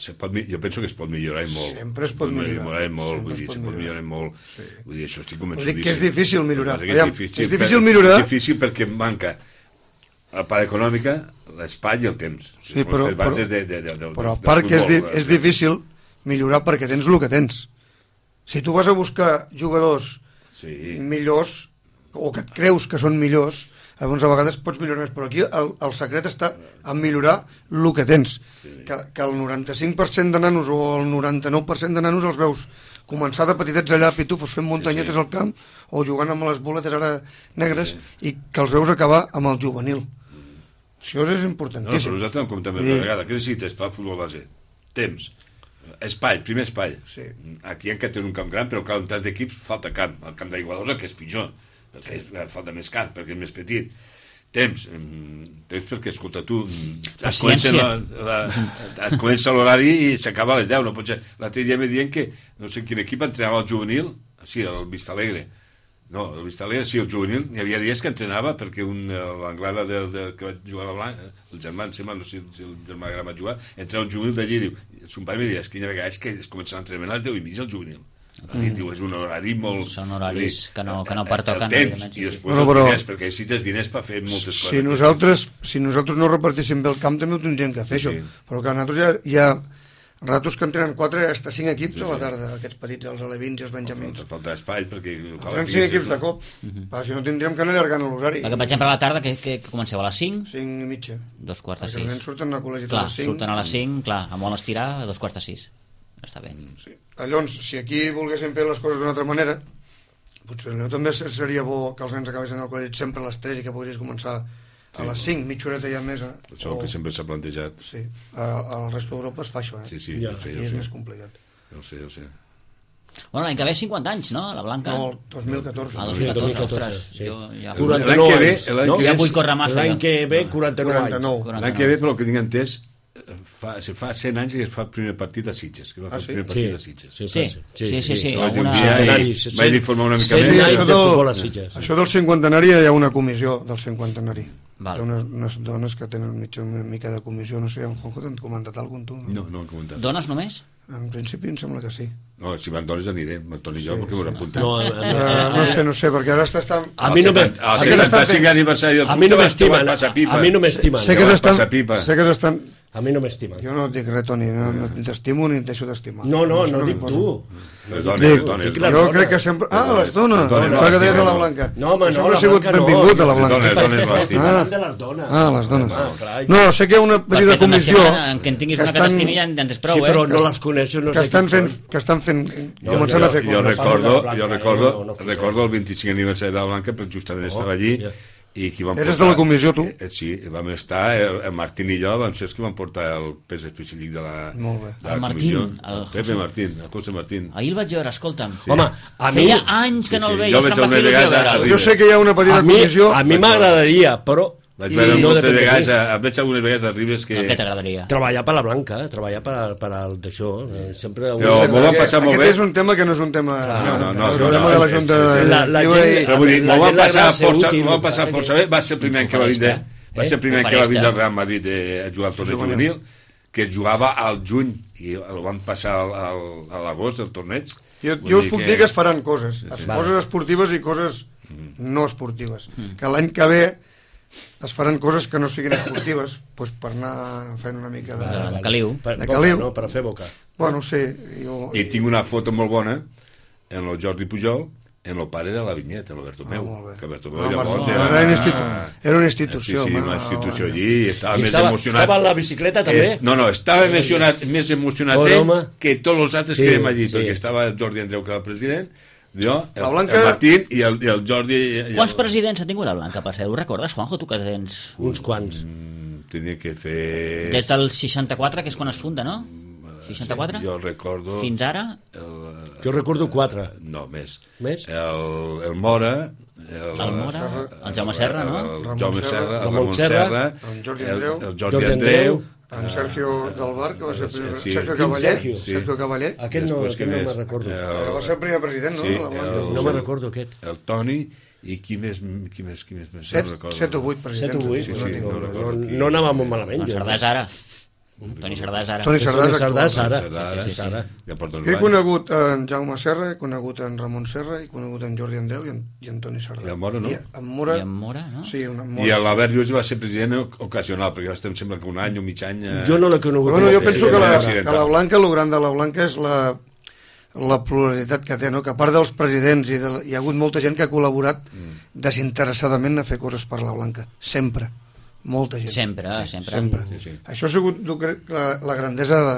se pot, jo penso que es pot millorar molt. Sempre es pot millorar. millorar molt, vull dir, es pot millorar molt. Sí. Vull dir, això estic convençut. Dic que és difícil millorar. És difícil, és difícil millorar. És difícil perquè manca a part econòmica, l'espai i el temps. Sí, però, però, de, de, de, de, però a part que és, di, és difícil millorar perquè tens el que tens. Si tu vas a buscar jugadors sí. millors, o que et creus que són millors, llavors a vegades pots millorar més, però aquí el, el secret està en millorar el que tens, sí. que, que el noranta-cinc per cent de nanos o el noranta-nou per cent de nanos els veus començar de petitets allà a pitufos fent muntanyetes sí, sí. al camp o jugant amb les boletes ara negres sí. i que els veus acabar amb el juvenil. Mm. Això és importantíssim. No, però nosaltres hem comentat més sí. vegada. Què necessites per al futbol base? Temps. Espai, primer espai. Sí. Aquí encara tens un camp gran, però clar, en tants equips falta camp. El camp d'Igualosa, que és pitjor, perquè sí. falta més camp, perquè és més petit. Temps, temps perquè, escolta, tu es comença, la, la, es comença l'horari i s'acaba a les deu, no pot ser. L'altre dia me diuen que no sé quin equip entrenava el juvenil, sí, el Vistalegre. No, el Vistalegre, sí, el juvenil, hi havia dies que entrenava perquè un, l'anglada de, de, que va jugar a Blanc, el germà, em sembla, no sé si el germà gran va jugar, entrava un juvenil d'allí i diu, son pare me diu, és que hi ha vegades que es comença l'entrenament a les deu i mitja el juvenil. Mm. Diu, és un horari molt... Són horaris dir, que no, que no pertoquen. El temps, i després bueno, però, els diners, perquè necessites diners per fer moltes coses. Si nosaltres, si nosaltres no repartíssim bé el camp, també ho tindríem que fer, sí, això. Sí. Però que nosaltres ja, hi ha ratos que entrenen quatre hasta cinc equips sí, a la tarda, sí. aquests petits, els alevins i els benjamins. Falta, falta espai, perquè... Entrenen cinc equips de cop, uh -huh. pa, si no tindríem que anar allargant l'horari. Perquè, per exemple, a la tarda, que, que comenceu a les cinc? cinc i mitja. Dos quarts de sis. Perquè els nens surten al col·legi clar, a les cinc. surten a les cinc, clar, a molt estirar, a dos quarts de sis. Està bé. Sí. Llavors, si aquí volguéssim fer les coses d'una altra manera, potser no, també seria bo que els nens acabessin al col·legi sempre a les tres i que poguessis començar a les cinc, mitja horeta ja més. Eh? Això o... que sempre s'ha plantejat. Sí, al resto d'Europa es fa això, eh? Sí, sí, ja, ja sé, aquí ja és sé. més complicat. Ja ho sé, ja ho sé. Bueno, l'any que ve cinquanta anys, no? La Blanca. No, el dos mil catorze. Ah, dos mil catorze, ostres. Sí. Jo ja... quaranta-nou l'any que ve, anys. No? Ja vull córrer massa. L'any que ve, quaranta-nou anys. L'any que ve, però el que tinc entès, fa, fa cent anys que es fa el primer partit a Sitges, que va fer ah, sí? el primer partit sí. a Sitges. Sí, sí, sí. sí, sí, sí. Alguna... Vaig informar una mica més. Sí, això, del, això del cinquantenari hi ha una comissió del cinquantenari. Val. Hi ha unes, unes dones que tenen mitja, una mica de comissió, no sé, en Juanjo t'han comentat alguna cosa, tu? No, no han comentat. Dones només? En principi em sembla que sí. No, si van dones aniré, amb el Toni i jo, perquè m'ho he apuntat. No, uh, no sé, no sé, perquè ara està... A mi no me... El setanta-cinc aniversari del club t'estimen, a mi no m'estimen. Sé que s'estan... Sé que s'estan... A mi no m'estimen. Jo no et dic res, Toni, no, no t'estimo ni et deixo d'estimar. No, no, no, no dic tu. Les dones, les dones. Jo crec que sempre... Ah, les dones! Pensava que deies a la Blanca. No, home, no, la Blanca no. Benvingut a la Blanca. Les dones no estimen. Ah, les dones. No, sé que hi ha una petita comissió... Que en tinguis una que t'estimi ja en tens prou, eh? Sí, però no les coneixo, no sé qui són. Que estan fent... Començant a fer coses. Jo recordo, jo recordo, recordo el vint-i-cinc aniversari de la Blanca, però justament estava allí... I qui van Eres portar, de la comissió, tu? Eh, sí, vam estar, el, el Martín i jo vam ser els que van portar el pes específic de la, Molt bé. de la el Martín, Martín, el, el Pepe Martín, el José Martín. Ahir el vaig veure, escolta'm. Sí. Home, a mi... Feia anys que no sí, sí. el veia, que em va fer il·lusió veure'l. Jo sé que hi ha una petita a mi, comissió... A mi m'agradaria, però... Vaig veure no moltes vegades, em veig algunes vegades a Ribes que... Què t'agradaria? Treballar per la Blanca, treballar per, per el d'això. Sempre... Però m'ho van passar molt bé. Aquest és un tema que no és un tema... No, no, no. El problema de la Junta... La gent... Però vull dir, m'ho van passar força bé. Va ser el primer any que va vindre... Va ser el primer any que va vindre al Real Madrid a jugar al torneig juvenil, que jugava al juny i el van passar a l'agost, el torneig. Jo us puc dir que es faran coses. Coses esportives i coses no esportives. Que l'any que ve es faran coses que no siguin esportives, doncs per anar fent una mica de, de, de caliu. Per, de boca, caliu. no? Per fer boca. Bueno, sí. Jo... I tinc una foto molt bona en el Jordi Pujol, en el pare de la Vinyet, en el Bertomeu. Ah, que Bertomeu ah, llavors era, era, una institu... era una institució. Sí, sí, home, una institució home. allí, i estava I més estava, emocionat. estava en la bicicleta també? Es, no, no, estava emocionat, més emocionat Pobre ell home. que tots els altres Sí, que érem allí, sí. perquè estava el Jordi Andreu, que era el president, jo, el, La Blanca- el Martín i el, i el Jordi... I el... Quants presidents ha tingut la Blanca, per ser? Ho recordes, Juanjo, tu que tens... Uns quants. Mm, tenia que fer... Des del seixanta-quatre, que és quan es funda, no? seixanta-quatre? Sí, jo recordo... Fins ara? El, Jo recordo quatre. no, més. Més? El, el Mora... El, El Mora, el Jaume Serra, no? El, el Ramon Jaume Serra, Serra, el Ramon Ramon Serra, Serra, el Jordi el, Andreu, el Jordi Jordi Andreu, Andreu, En Sergio del Bar, que va ser el primer... Sí, Sergio sí. Cavaller. Sergio. Sí. Sergio Cavaller. Aquest no, Després, aquest qui no més? me'n recordo. El- Va ser el primer president, no? Sí, de la Blanca. el- No me'n recordo aquest. el Toni, i qui més, qui més, qui més, més Set, no recordo. set o vuit Set presidents. o vuit, Sí, no, sí, no, no no, recordo no, qui- no anava molt malament. Doncs jo. Sardà és ara. Toni Sardà és ara. Toni Sardà és Sardà és actual. ara. Sardà, Sí, sí, sí, sí. Ara. Ja porta uns Jo he anys. conegut en Jaume Serra, he conegut en Ramon Serra, he conegut en Jordi Andreu i en, i en Toni Sardà. I en Mora, no? I en Mora, I en Mora, no? sí, una I Mora. l'Albert Lluís va ser president ocasional, perquè va estar, em sembla que un any o mig any... Eh... Jo no l'he conegut. Bueno, jo com a penso que la, president. que la Blanca, el gran de la Blanca és la, la pluralitat que té, no? Que a part dels presidents i de, hi ha hagut molta gent que ha col·laborat Mm. desinteressadament a fer coses per la Blanca. Sempre. Molta gent. Sempre, sempre. Sempre. Sí, sí. Això ha sigut, jo crec, la, la grandesa de,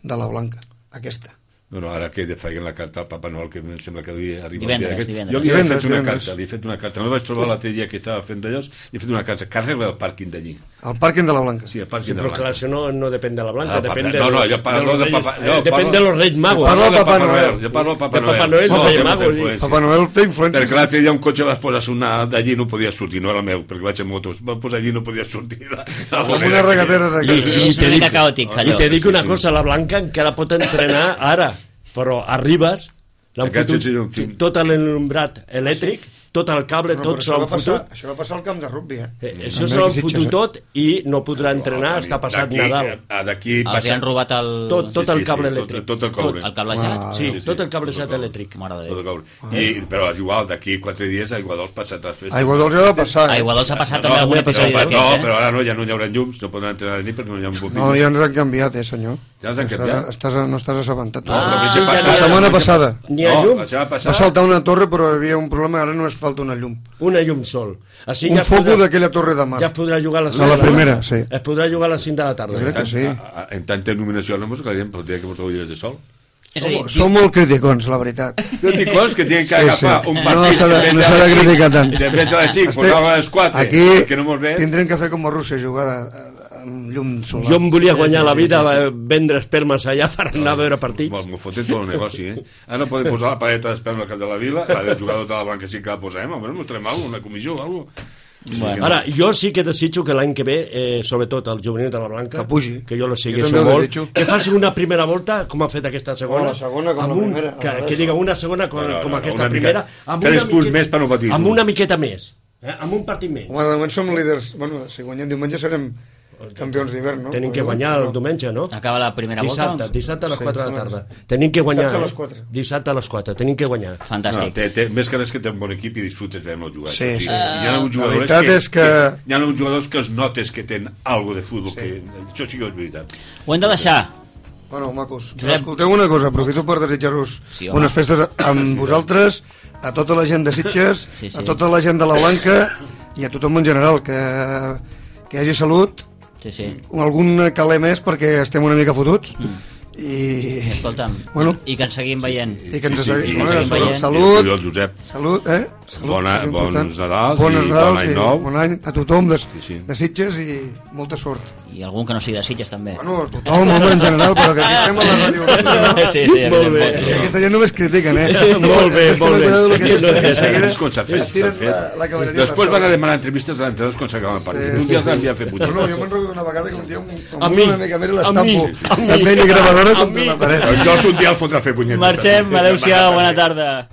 de la Blanca, aquesta. No, no, ara que feien la carta al Papa Noel, que em sembla que havia arribat... Divendres, el dia aquest. divendres. Jo li he fet Divendres, una divendres. carta, li he fet una carta. No el vaig trobar l'altre dia que estava fent d'allò, li he fet una carta, que arregla el pàrquing d'allí. El pàrquing de la Blanca. Sí, el Sí, pàrquing de però la clar, Blanca. això no, no depèn de la Blanca, Ah, depèn papa- de, no, no, jo parlo los de Papa- Reyes- jo eh, depèn parlo- de los Reis Magos. Parlo de Papa Noel. Jo parlo de Papa De Noel. Papa Noel, no, no, té de molta Magos, sí. influència. Papa Noel té influència. Perquè l'altre dia un cotxe vas posar sonar d'allí no podia sortir, no era el meu, perquè vaig en motos. Va posar allí i no podia sortir. De, de Com una regatera de I, casa. i, És te una dic, mica caòtic, i allò. te dic una Sí, sí. cosa, la Blanca encara pot entrenar ara, però a Ribes l'han Aquest fotut seria un film. tot l'enlumbrat elèctric, tot el cable, No, tot però se això, l'han va passar, fotut. això va passar al camp de rugby, eh? Eh, També Això se aquí l'han Sitges, fotut eh? tot i no podrà entrenar, està passat D'aquí- Nadal. a- D'aquí Els hi passa... han robat el... Tot, tot Sí, el sí, cable sí, elèctric. Tot, tot el coure. El cablejat? Ah, Sí, Sí, sí, tot el tot cablejat el coure. elèctric. Mare de Tot el Déu. coure. I, però és igual, d'aquí quatre dies a Iguadols passa altres festes. A Iguadols ja va passar, A eh? Iguadols ha passat No, també no, algun però- episodi però- d'aquests, No, eh? però ara no, ja no hi haurà llums, no podran entrenar de nit perquè no hi ha bobines. No, ja ens han canviat, eh, senyor? Ja ens han Estàs- canviat? Estàs, no estàs assabentat. No, la la sí, setmana ja passada- setmana passada. N'hi ha no, llum? la setmana Va passada... saltar una torre, però hi havia un problema, ara només falta una llum. Una llum sol. Així Un ja es foco podrà- d'aquella torre de mar. Ja es podrà jugar a les A la cinc de primera, sí. Es podrà jugar a les cinc de la tarda. Jo crec que sí. A- a- En tanta il·luminació no mos calien pel dia que porteu ulleres de sol. És a dir, Som, som molt criticons, la veritat. Jo dic coses que tenen que Sí, sí. agafar un No partit s'ha de- en no vez s'ha de les cinc, criticar tant. en vez de les cinc, Este- posava a les quatre, Aquí perquè no mos ve. tindrem que fer com a Rússia, jugar a- amb llum solar. Jo em volia guanyar la vida eh, vendre espelmes allà per anar a veure partits. Bon, m'ho foten tot el negoci, eh? Ara no podem posar la paleta d'esperma al cap de la vila, la del jugador de la Blanca sí que la posem, almenys mostrem alguna cosa, una comissió o alguna cosa. Sí, Bueno. que no. Ara, jo sí que desitjo que l'any que ve, eh, sobretot el juvenil de la Blanca, Que pugi. que jo lo Jo segueixo també ho molt, desitjo. que faci una primera volta, com ha fet aquesta segona. Oh, la segona com amb la un- primera, Que, al revés. que diga una segona com, No, no, com no, aquesta una mica- primera. Amb tres una punts miqueta- més per no patir. Amb una miqueta més. Eh? Amb un partit més. Home, de moment som líders. Bueno, si guanyem diumenge serem campions d'hivern, no? Tenim que guanyar el diumenge, no? acaba la primera volta. Dissabte, doncs? dissabte a les Sí, quatre de la doncs. tarda. Tenim que guanyar. Dissabte a les eh? quatre. Dissabte a les quatre, tenim que guanyar. No, Fantàstic. té, té, més que res que té un bon equip i disfrutes veient el jugar. Sí, això sí. Hi ha uns La jugadors veritat que, és que- Hi ha uns jugadors que es notes que tenen algo de futbol, que això sí que és veritat. Ho hem de deixar. Bueno, macos, Josep. escolteu una cosa, aprofito per desitjar-vos Sí, home. unes festes amb vosaltres, a tota la gent de Sitges, Sí, sí. a tota la gent de la Blanca i a tothom en general, que, que hi hagi salut, Sí, sí. algun caler més perquè estem una mica fotuts, Mm. i, Escolta'm, Bueno. i que ens seguim veient. i que ens Sí, sí, segui- i- bueno, i- salut, i- salut, I el Josep. salut, eh? Salut, Bona- és important. bons Nadals Bones i bon Nadals any i nou. bon any a tothom de, Sí, sí. de Sitges i molta sort. I algun que no sigui de Sitges, també. Bueno, tothom, home, en general, però que aquí estem a la ràdio. No? Sí, sí, Molt bé. evidentment. Sí, aquesta gent només critiquen, eh? Molt bé, És que molt no bé. conec el que Aquí no de és seguida És com s'ha fet, es s'ha tiren fet. la, la cavalleria Després per van a sobre. demanar entrevistes a l'entrenadors quan s'acaben el partit. Sí, Un sí, dia els sí. havia fet No, no, jo punyetes. me'n recordo una vegada que un dia un, A amb mi, una mica més a mi, l'estampo a mi. de pell i gravadora A contra mi. la paret. Jo un dia el fotrà a fer punyetes. Marxem, adeu-siau, bona tarda.